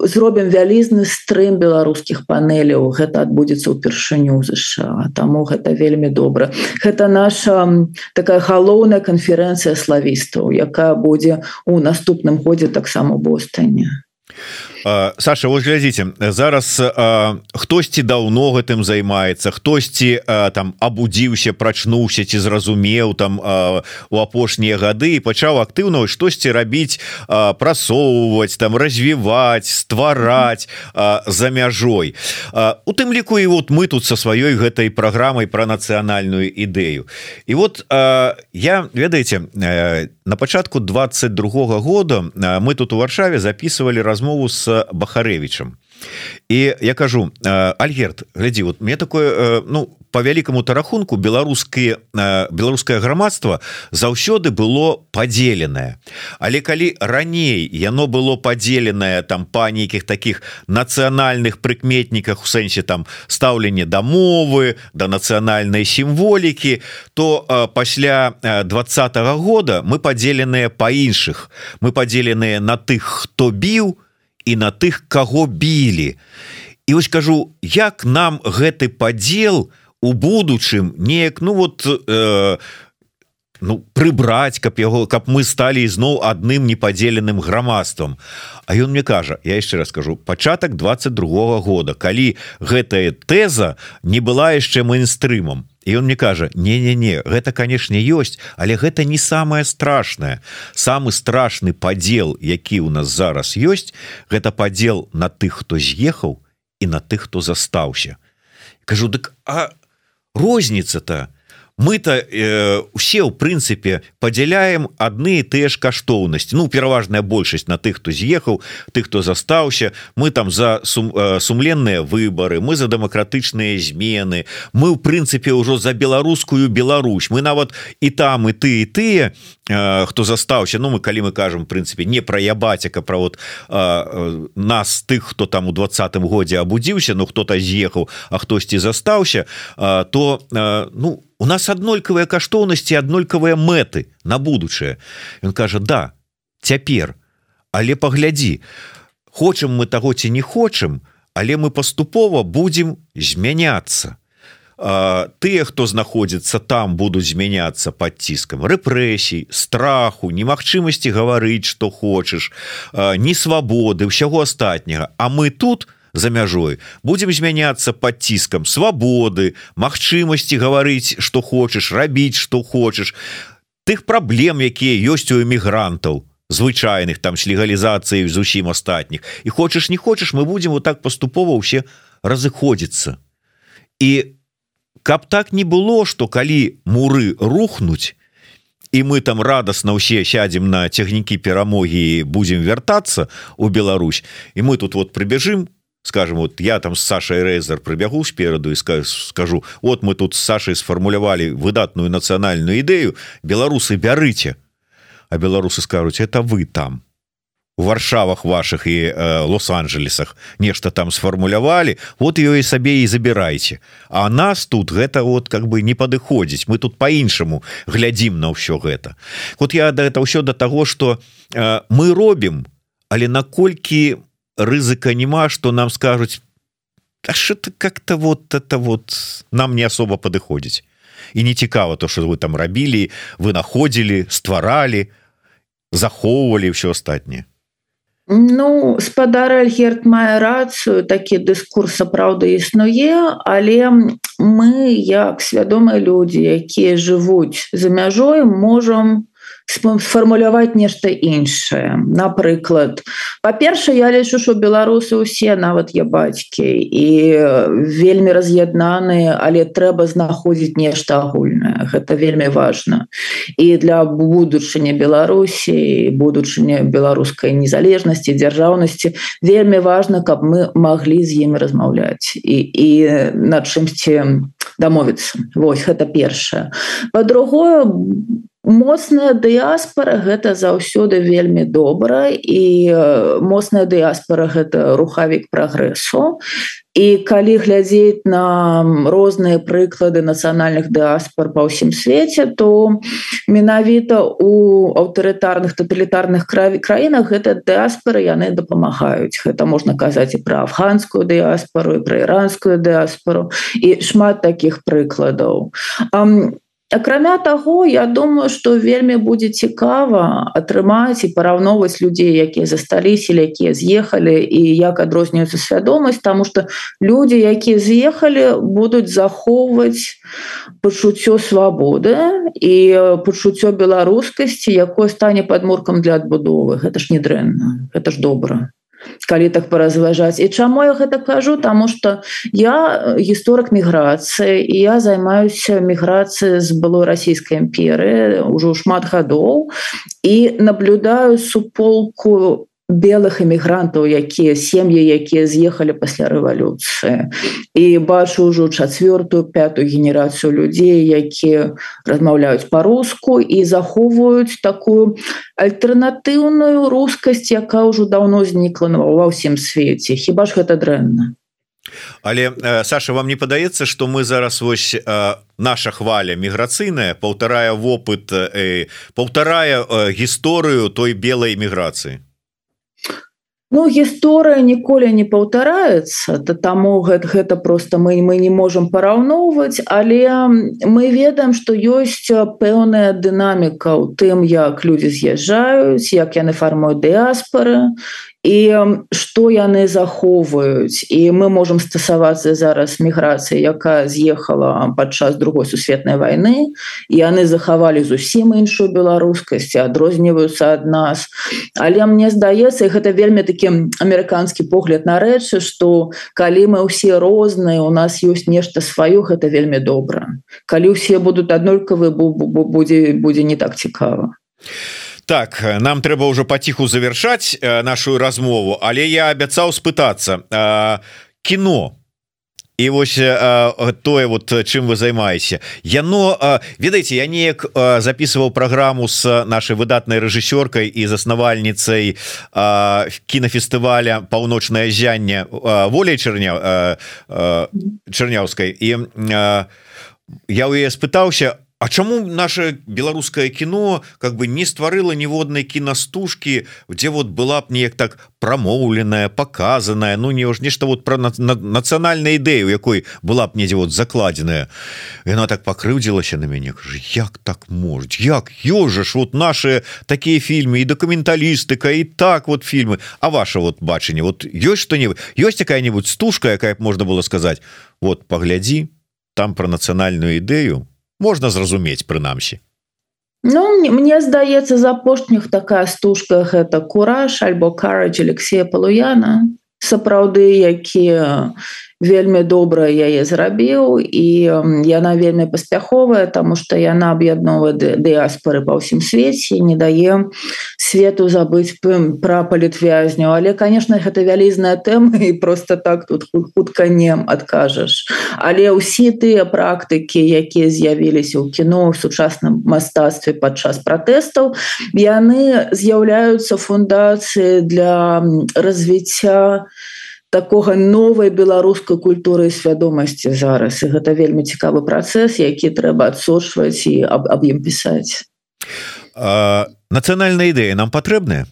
B: зробім вялізны стрым беларускіх панеляў. Гэта адбудзецца ўпершыню ў ЗША, таму гэта вельмі добра. Гэта наша такая галоўная канферэнцыя славістаў, якая будзе у наступным годзе таксама ў Бостоне.
A: Саша, вот глядзіце, зараз хтосьці даўно гэтым займаецца, хтосьці там абудзіўся, прачнуўся ці зразумеў там у апошнія гады і пачаў актыўна штосьці рабіць, прасоўваць, там развіваць, ствараць за мяжой. У тым ліку і вот мы тут са сваёй гэтай праграмай пра нацыянальную ідэю. І вот я, ведаеце, на пачатку 22-го года мы тут у Варшаве записывали размову с Бахарэвічам. І я кажу, Альгерд, глядзі, вот мне такое, ну, по вялікаму тарахунку беларускае грамадства заўсёды было падзеленае. Але калі раней яно было падзеленае там па нейкіх такіх нацыянальных прыкметніках, у сэнсе там стаўленне да мовы, да нацыянальнай сімволікі, то пасля 20-го года мы падзеленыя па іншых. Мы падзеленыя на тых, хто біў, і на тых, каго білі. І вось кажу, як нам гэты падзел у будучым неяк, ну вот, прыбраць, каб мы сталі ізноў адным непадзеленым грамадствам. А ён мне кажа, я яшчэ раз скажу, пачатак 22-го года, калі гэтая тэза не была яшчэ мейнстрымам. І он мне кажа, не, гэта, канешне, ёсць, але гэта не самае страшнае. Самы страшны падзел, які ў нас зараз ёсць, гэта падзел на тых, хто з'ехаў, і на тых, хто застаўся. Кажу, дык, а розніца-то мы-то усе ў прынцыпе падзяляем адны і тыя ж каштоўнасці. Ну, пераважная большасць на тых, хто з'ехаў, тых, хто застаўся. Мы там за сумленныя выбары, мы за дэмакратычныя змены, мы ў прынцыпе ўжо за беларускую Беларусь. Мы нават і там і тыя, хто застаўся. Ну, калі мы кажам, в прынцыпе, не пра ябацяка, пра вот нас, тых, хто там у 20-м годзе абудзіўся, ну, хто-то з'ехаў, а хтосьці застаўся, то, ну, у нас аднолькавыя каштоўнасці, аднолькавыя мэты на будучае. Ён кажа: да, цяпер, але паглядзі, хочам мы таго ці не хочам, але мы паступова будзем змяняцца. Тыя, хто знаходзіцца там, будуць змяняцца пад ціскам рэпрэсій, страху, немагчымасці гаварыць, што хочаш, несвабоды, ўсяго астатняга. А мы тут, за мяжой, будем змяняцца пад ціскам свабоды, магчымасці гаварыць, што хочаш, рабіць, што хочаш, тых праблем, якія ёсць у эмігрантаў звычайных, там, з легалізацыяй зусім астатніх. І хочаш, не хочаш, мы будем вот так паступова ўсе разыходзіцца. І каб так не было, што калі муры рухнуць, і мы там радасна ўсе сядзем на цягнікі перамогі і будзем вяртацца ў Беларусь, і мы тут вот прыбяжым, скажем, вот я там с Сашей Рейзер прибягу спереду и скажу: вот мы тут с Сашей сформулировали выдатную национальную идею, белорусы бярыце. А белорусы скажут: это вы там у Варшавах ваших и Лос-Анджелесах нешта там сформулявалі, вот ее и сабе и забирайте. А нас тут гэта вот как бы не падыходзіць, мы тут по-іншаму глядзім на ўсё гэта. Вот я это ўсё до того, что мы робім, але наколькі рызыка нема, што нам скажуць: а что-то как-то вот это вот нам не особо падыходзіць. І не цікава то, что вы там рабілі, вы находзілі, стваралі, захоўвалі ўсё астатняе.
B: Ну, спадар Альгерт мае рацыю, такі дыскурс сапраўды існуе, але мы, як свядомыя людзі, якія жывуць за мяжой, можам сфармуляваць нешта іншае. Напрыклад, па-першае, я лічу, што беларусы ўсе, нават я бацькі, і вельмі раз'яднаныя, але трэба знаходзіць нешта агульнае. Гэта вельмі важна. І для будучыні Беларусі, будучыні беларускай незалежнасці, дзяржаўнасці вельмі важна, каб мы маглі з імі размаўляць і над чымсьці дамовіцца. Вось, гэта першае. Па-другое, моцная дыяспара — гэта заўсёды вельмі добра, і моцная дыяспара — гэта рухавік прагрэсу. І калі глядзець на розныя прыклады нацыянальных дыаспар па ўсім свеце, то менавіта у аўтарытарных, таталітарных краінах гэта дыаспары яны дапамагаюць. Гэта можна казаць і пра афганскую дыаспару, і пра іранскую дыаспару, і шмат такіх прыкладаў. Акрамя таго, я думаю, што вельмі будзе цікава атрымаць і параўноўваць людзей, якія засталіся, якія з'ехалі, і як адрозніваецца свядомасць, таму што людзі, якія з'ехалі, будуць захоўваць пачуццё свабоды і пачуццё беларускасці, якое стане падмуркам для адбудовы. Гэта ж не дрэнна, гэта ж добра, калі так паразважаць. І чаму я гэта кажу? Таму што я гісторык міграцыі, і я займаюся міграцыяй з былой расійскай імперыі ўжо шмат гадоў, і наблюдаю суполку белых эмігрантаў, сем'і, якія з'ехалі пасля рэвалюцыі. І бачу ўжо 4-ю, 5-ю генерацыю людзей, якія размаўляюць па-руску і захоўваюць такую альтэрнатыўную рускасць, якая ўжо даўно знікла ва ўсім свеце. Хіба ж гэта дрэнна?
A: Але, Саша, вам не падаецца, што мы зараз вось наша хваля міграцыйная паўтарае вопыт, паўтарае гісторыю той белай міграцыі?
B: Ну, гісторыя ніколі не паўтараецца, таму гэта проста мы не можам параўноўваць, але мы ведаем, што ёсць пэўная дынаміка ў тым, як людзі з'язджаюць, як яны фармуюць дыаспары, і што яны захоўваюць, і мы можам стасавацца зараз міграцыі, якая з'ехала падчас другой сусветнай вайны, і яны захавалі зусім іншую беларускасць, адрозніваюцца ад нас. Але мне здаецца, і гэта вельмі такі амерыканскі погляд на рэчы, што калі мы ўсе розныя, у нас ёсць нешта сваё, гэта вельмі добра. Калі ўсе будуць аднолькавыя, будзе не так цікава.
A: Так, нам трэба ўжо паціху завяршаць нашу размову, але я абяцаў спытацца кіно і вось тое вот чым вы займаеце яно, ведаеце, я неяк записываў праграму с нашай выдатнай рэжысёркай і заснавальніцай кінафестываля «Паўночнае ззянне» Воляй Чарняўскай, і я ў яе спытаўся, а чаму наше беларускае кіно как бы не стварыла ніводнай кінастужкі, дзе вот была б неяк так прамоўленая, показаная, ну не ж нешта вот про нацыянальную ідэю, якой была б недзе вот закладзеная. Яна так пакрыўдзілася на мяне, кажа, як так можа, як ёжаш вот наши такія фільмы і дакументалістыка і так вот фільмы, а ваше вот бачанне, вот ёсць што-небудзь, ёсць якая-нибудь стужка, якая б можна было сказаць, вот паглядзі там про нацыянальную ідэю можна зразумець прынамсі.
B: Ну, мне здаецца, з апошніх такая стужка гэта «Кураж» альбо «Courage» Алексея Палуяна, сапраўды, які вельмі добра яе зрабіў, і яна вельмі паспяховая, таму што яна аб'ядноўвае дыяспоры па ўсім свеце, не дае свету забыць пра палітвязняў. Але, конечно, гэта вялізная тэма, і просто так тут хутка не адкажаш. Але ўсе тыя практыкі, якія з'явіліся ў кіно, ў сучасным мастацтве падчас пратэстаў, яны з'яўляюцца фундацыяй для развіцця такога новай беларускай культуры і свядомасці зараз. І гэта вельмі цікавы працэс, які трэба адсочваць і аб ім пісаць.
A: Нацыянальная ідэя нам патрэбная?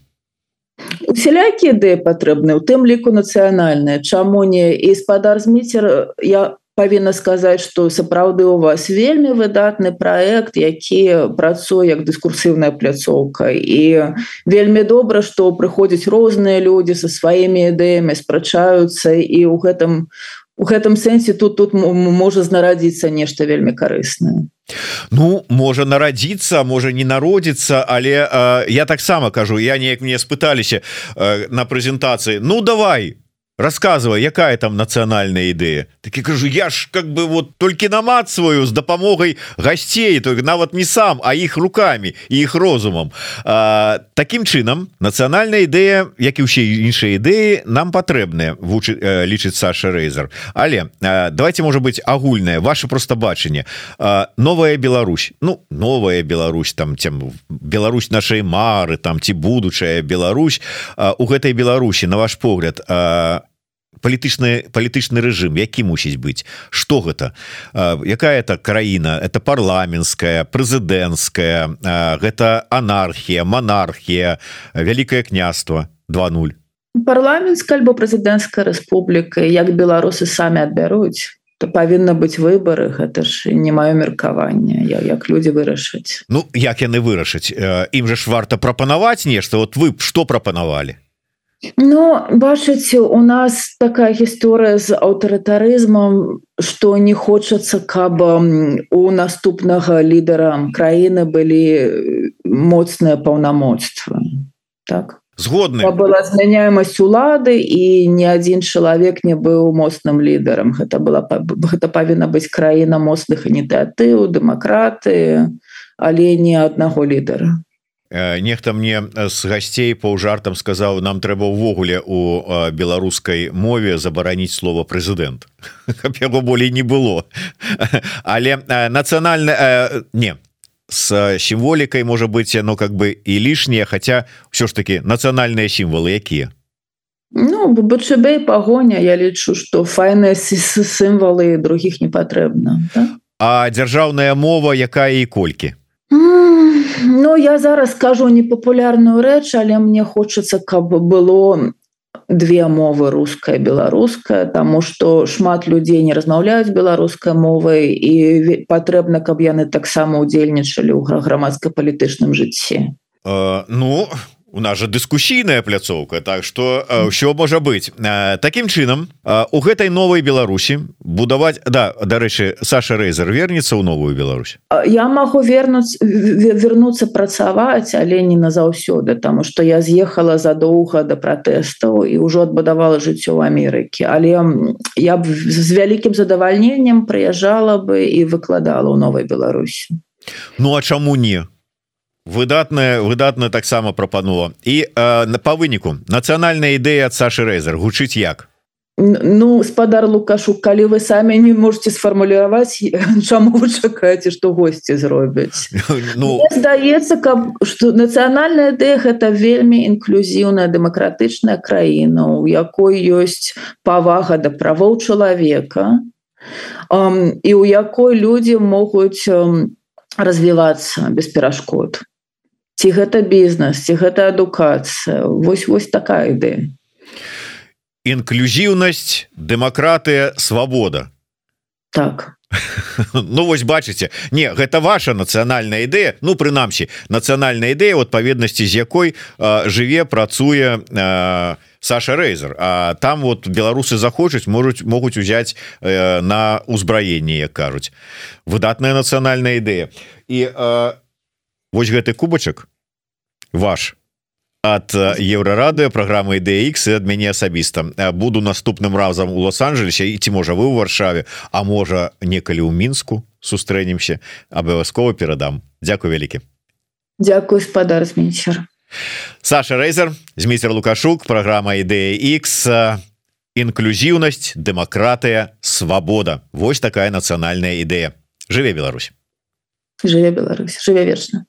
B: Усялякія ідэі патрэбныя, у тым ліку нацыянальныя. Чаму не? І спадар Зміцер, я павінна сказаць, што сапраўды у вас вельмі выдатны праект, які працуе як дыскурсіўная пляцоўка, і вельмі добра, што прыходзяць розныя людзі са сваімі ідэямі, спрачаюцца, і ў гэтым сэнсе тут можа знарадзіцца нешта вельмі карыснае.
A: Ну, можа нарадзіцца, можа не народзіцца, але я таксама кажу, я неяк мне спыталіся на прэзентацыі, ну давай, рассказывай, якая там нацыянальная ідэя. Так я кажу, я ж как бы вот толькі намацваю з дапамогай гасцей, то нават не сам, а іх руками і іх розумам. Такім чынам, нацыянальная ідэя, як і ўсе іншыя ідэі, нам патрэбныя, лічыць Саша Рэйзер. Але давайте, можа быть, агульнае, ваше просто бачанне. Новая Беларусь, ну, новая Беларусь, там, Беларусь нашай мары, там, ці будучая Беларусь, у гэтай Беларусі, на ваш погляд, палітычны рэжым, які мусіць быць, што гэта, якая это краіна, это парламенцкая, прэзідэнцкая, гэта анархія, монархія, вялікае княства 2.0?
B: Парламенцкая альбо прэзідэнцкая рэспубліка, як беларусы самі адбяруць, то павінна быць выбары, гэта ж не маё меркаванне, як людзі вырашаць.
A: Ну, як яны вырашаць? Ім же ж варта прапанаваць нешта, вот вы што прапанавалі?
B: Ну, бачыце, у нас такая гісторыя з аўтарытарызмам, што не хочацца, каб у наступнага лідара краіны былі моцныя паўнамоцтвы. Так?
A: Згодны.
B: Была змяняемасць улады, і ні адзін чалавек не быў моцным лідарам. Гэта павінна быць краіна моцных ініцыятыў, дэмакратыі, але не аднаго лідара.
A: Нехта мне з гасцей паўжартам сказаў, нам трэба ўвогуле у беларускай мове забараніць слова прэзідэнт, каб яго болей не было. Але нацыянальна не з сімволікай можа быць, ну как бы і лішняе, хаця ўсё ж таки нацыянальныя сімвалы якія?
B: Ну, БЧБ і пагоня, я лічу, што файныя сімвалы, другіх не патрэбна. Так?
A: А дзяржаўная мова якая і колькі?
B: Ну, я зараз скажу непапулярную рэч, але мне хочацца, каб было две мовы, руская і беларуская, таму што шмат людзей не размаўляюць беларускай мовай, і патрэбна, каб яны таксама ўдзельнічалі ў грамадска-палітычным жыцці.
A: Ну, У нас же дыскусійная пляцоўка, так что ўсё можа быць. Такім чынам у гэтай новай Беларусі будаваць, дарэчы, Саша Рэйзер вернецца ў новую Беларусь.
B: Я магу вернуцца працаваць, але не назаўсёды, таму што я з'ехала задоўга да пратэстаў і ўжо адбудавала жыццё ў Амерыкі, але я б з вялікім задавальненнем прыязджала бы і выкладала ў новай Беларусі.
A: Ну а чаму не? Выдатна таксама прапанова. І па выніку нацыянальная ідэя ад Сашы Рэйзер гучыць як?
B: Ну, спадар Лукашук, калі вы самі не можете сфармуляваць, чаму вы чакаеце, што госці зробяць? Мне здаецца, што нацыянальная ідэя гэта вельмі інклюзіўная дэмакратычная краіна, у якой ёсць павага да правоў чалавека і у якой людзі могуць развівацца без перашкод. Ці гэта бізнес, ці гэта адукацыя. Вось такая ідэя.
A: Інклюзіўнасць, дэмакратыя, свабода.
B: Так.
A: Ну вось бачыце, не, гэта ваша нацыянальная ідэя, ну прынамсі нацыянальная ідэя, у адпаведнасці з якой жыве, працуе Саша Рэйзер. А там вот беларусы захочуць, могуць узяць на ўзбраенне, як кажуць. Выдатная нацыянальная ідэя. І вось гэты кубачак ваш ад Еўрарадыё, праграмы Ідэя Х і ад мяне асабіста. Буду наступным разам у Лос-Анджелесе, і ці можа вы ў Варшаве, а можа некалі ў Мінску сустрэнемся, абавязкова перадам. Дзякуй вялікі.
B: Дзякуй, спадар Змейцер.
A: Саша Рэйзер, Змейцер Лукашук, праграма Ідэя Х, інклюзіўнасць, дэмакратыя, свабода. Вось такая нацыянальная ідэя. Жыве Беларусь.
B: Жыве Беларусь, жыве вечна.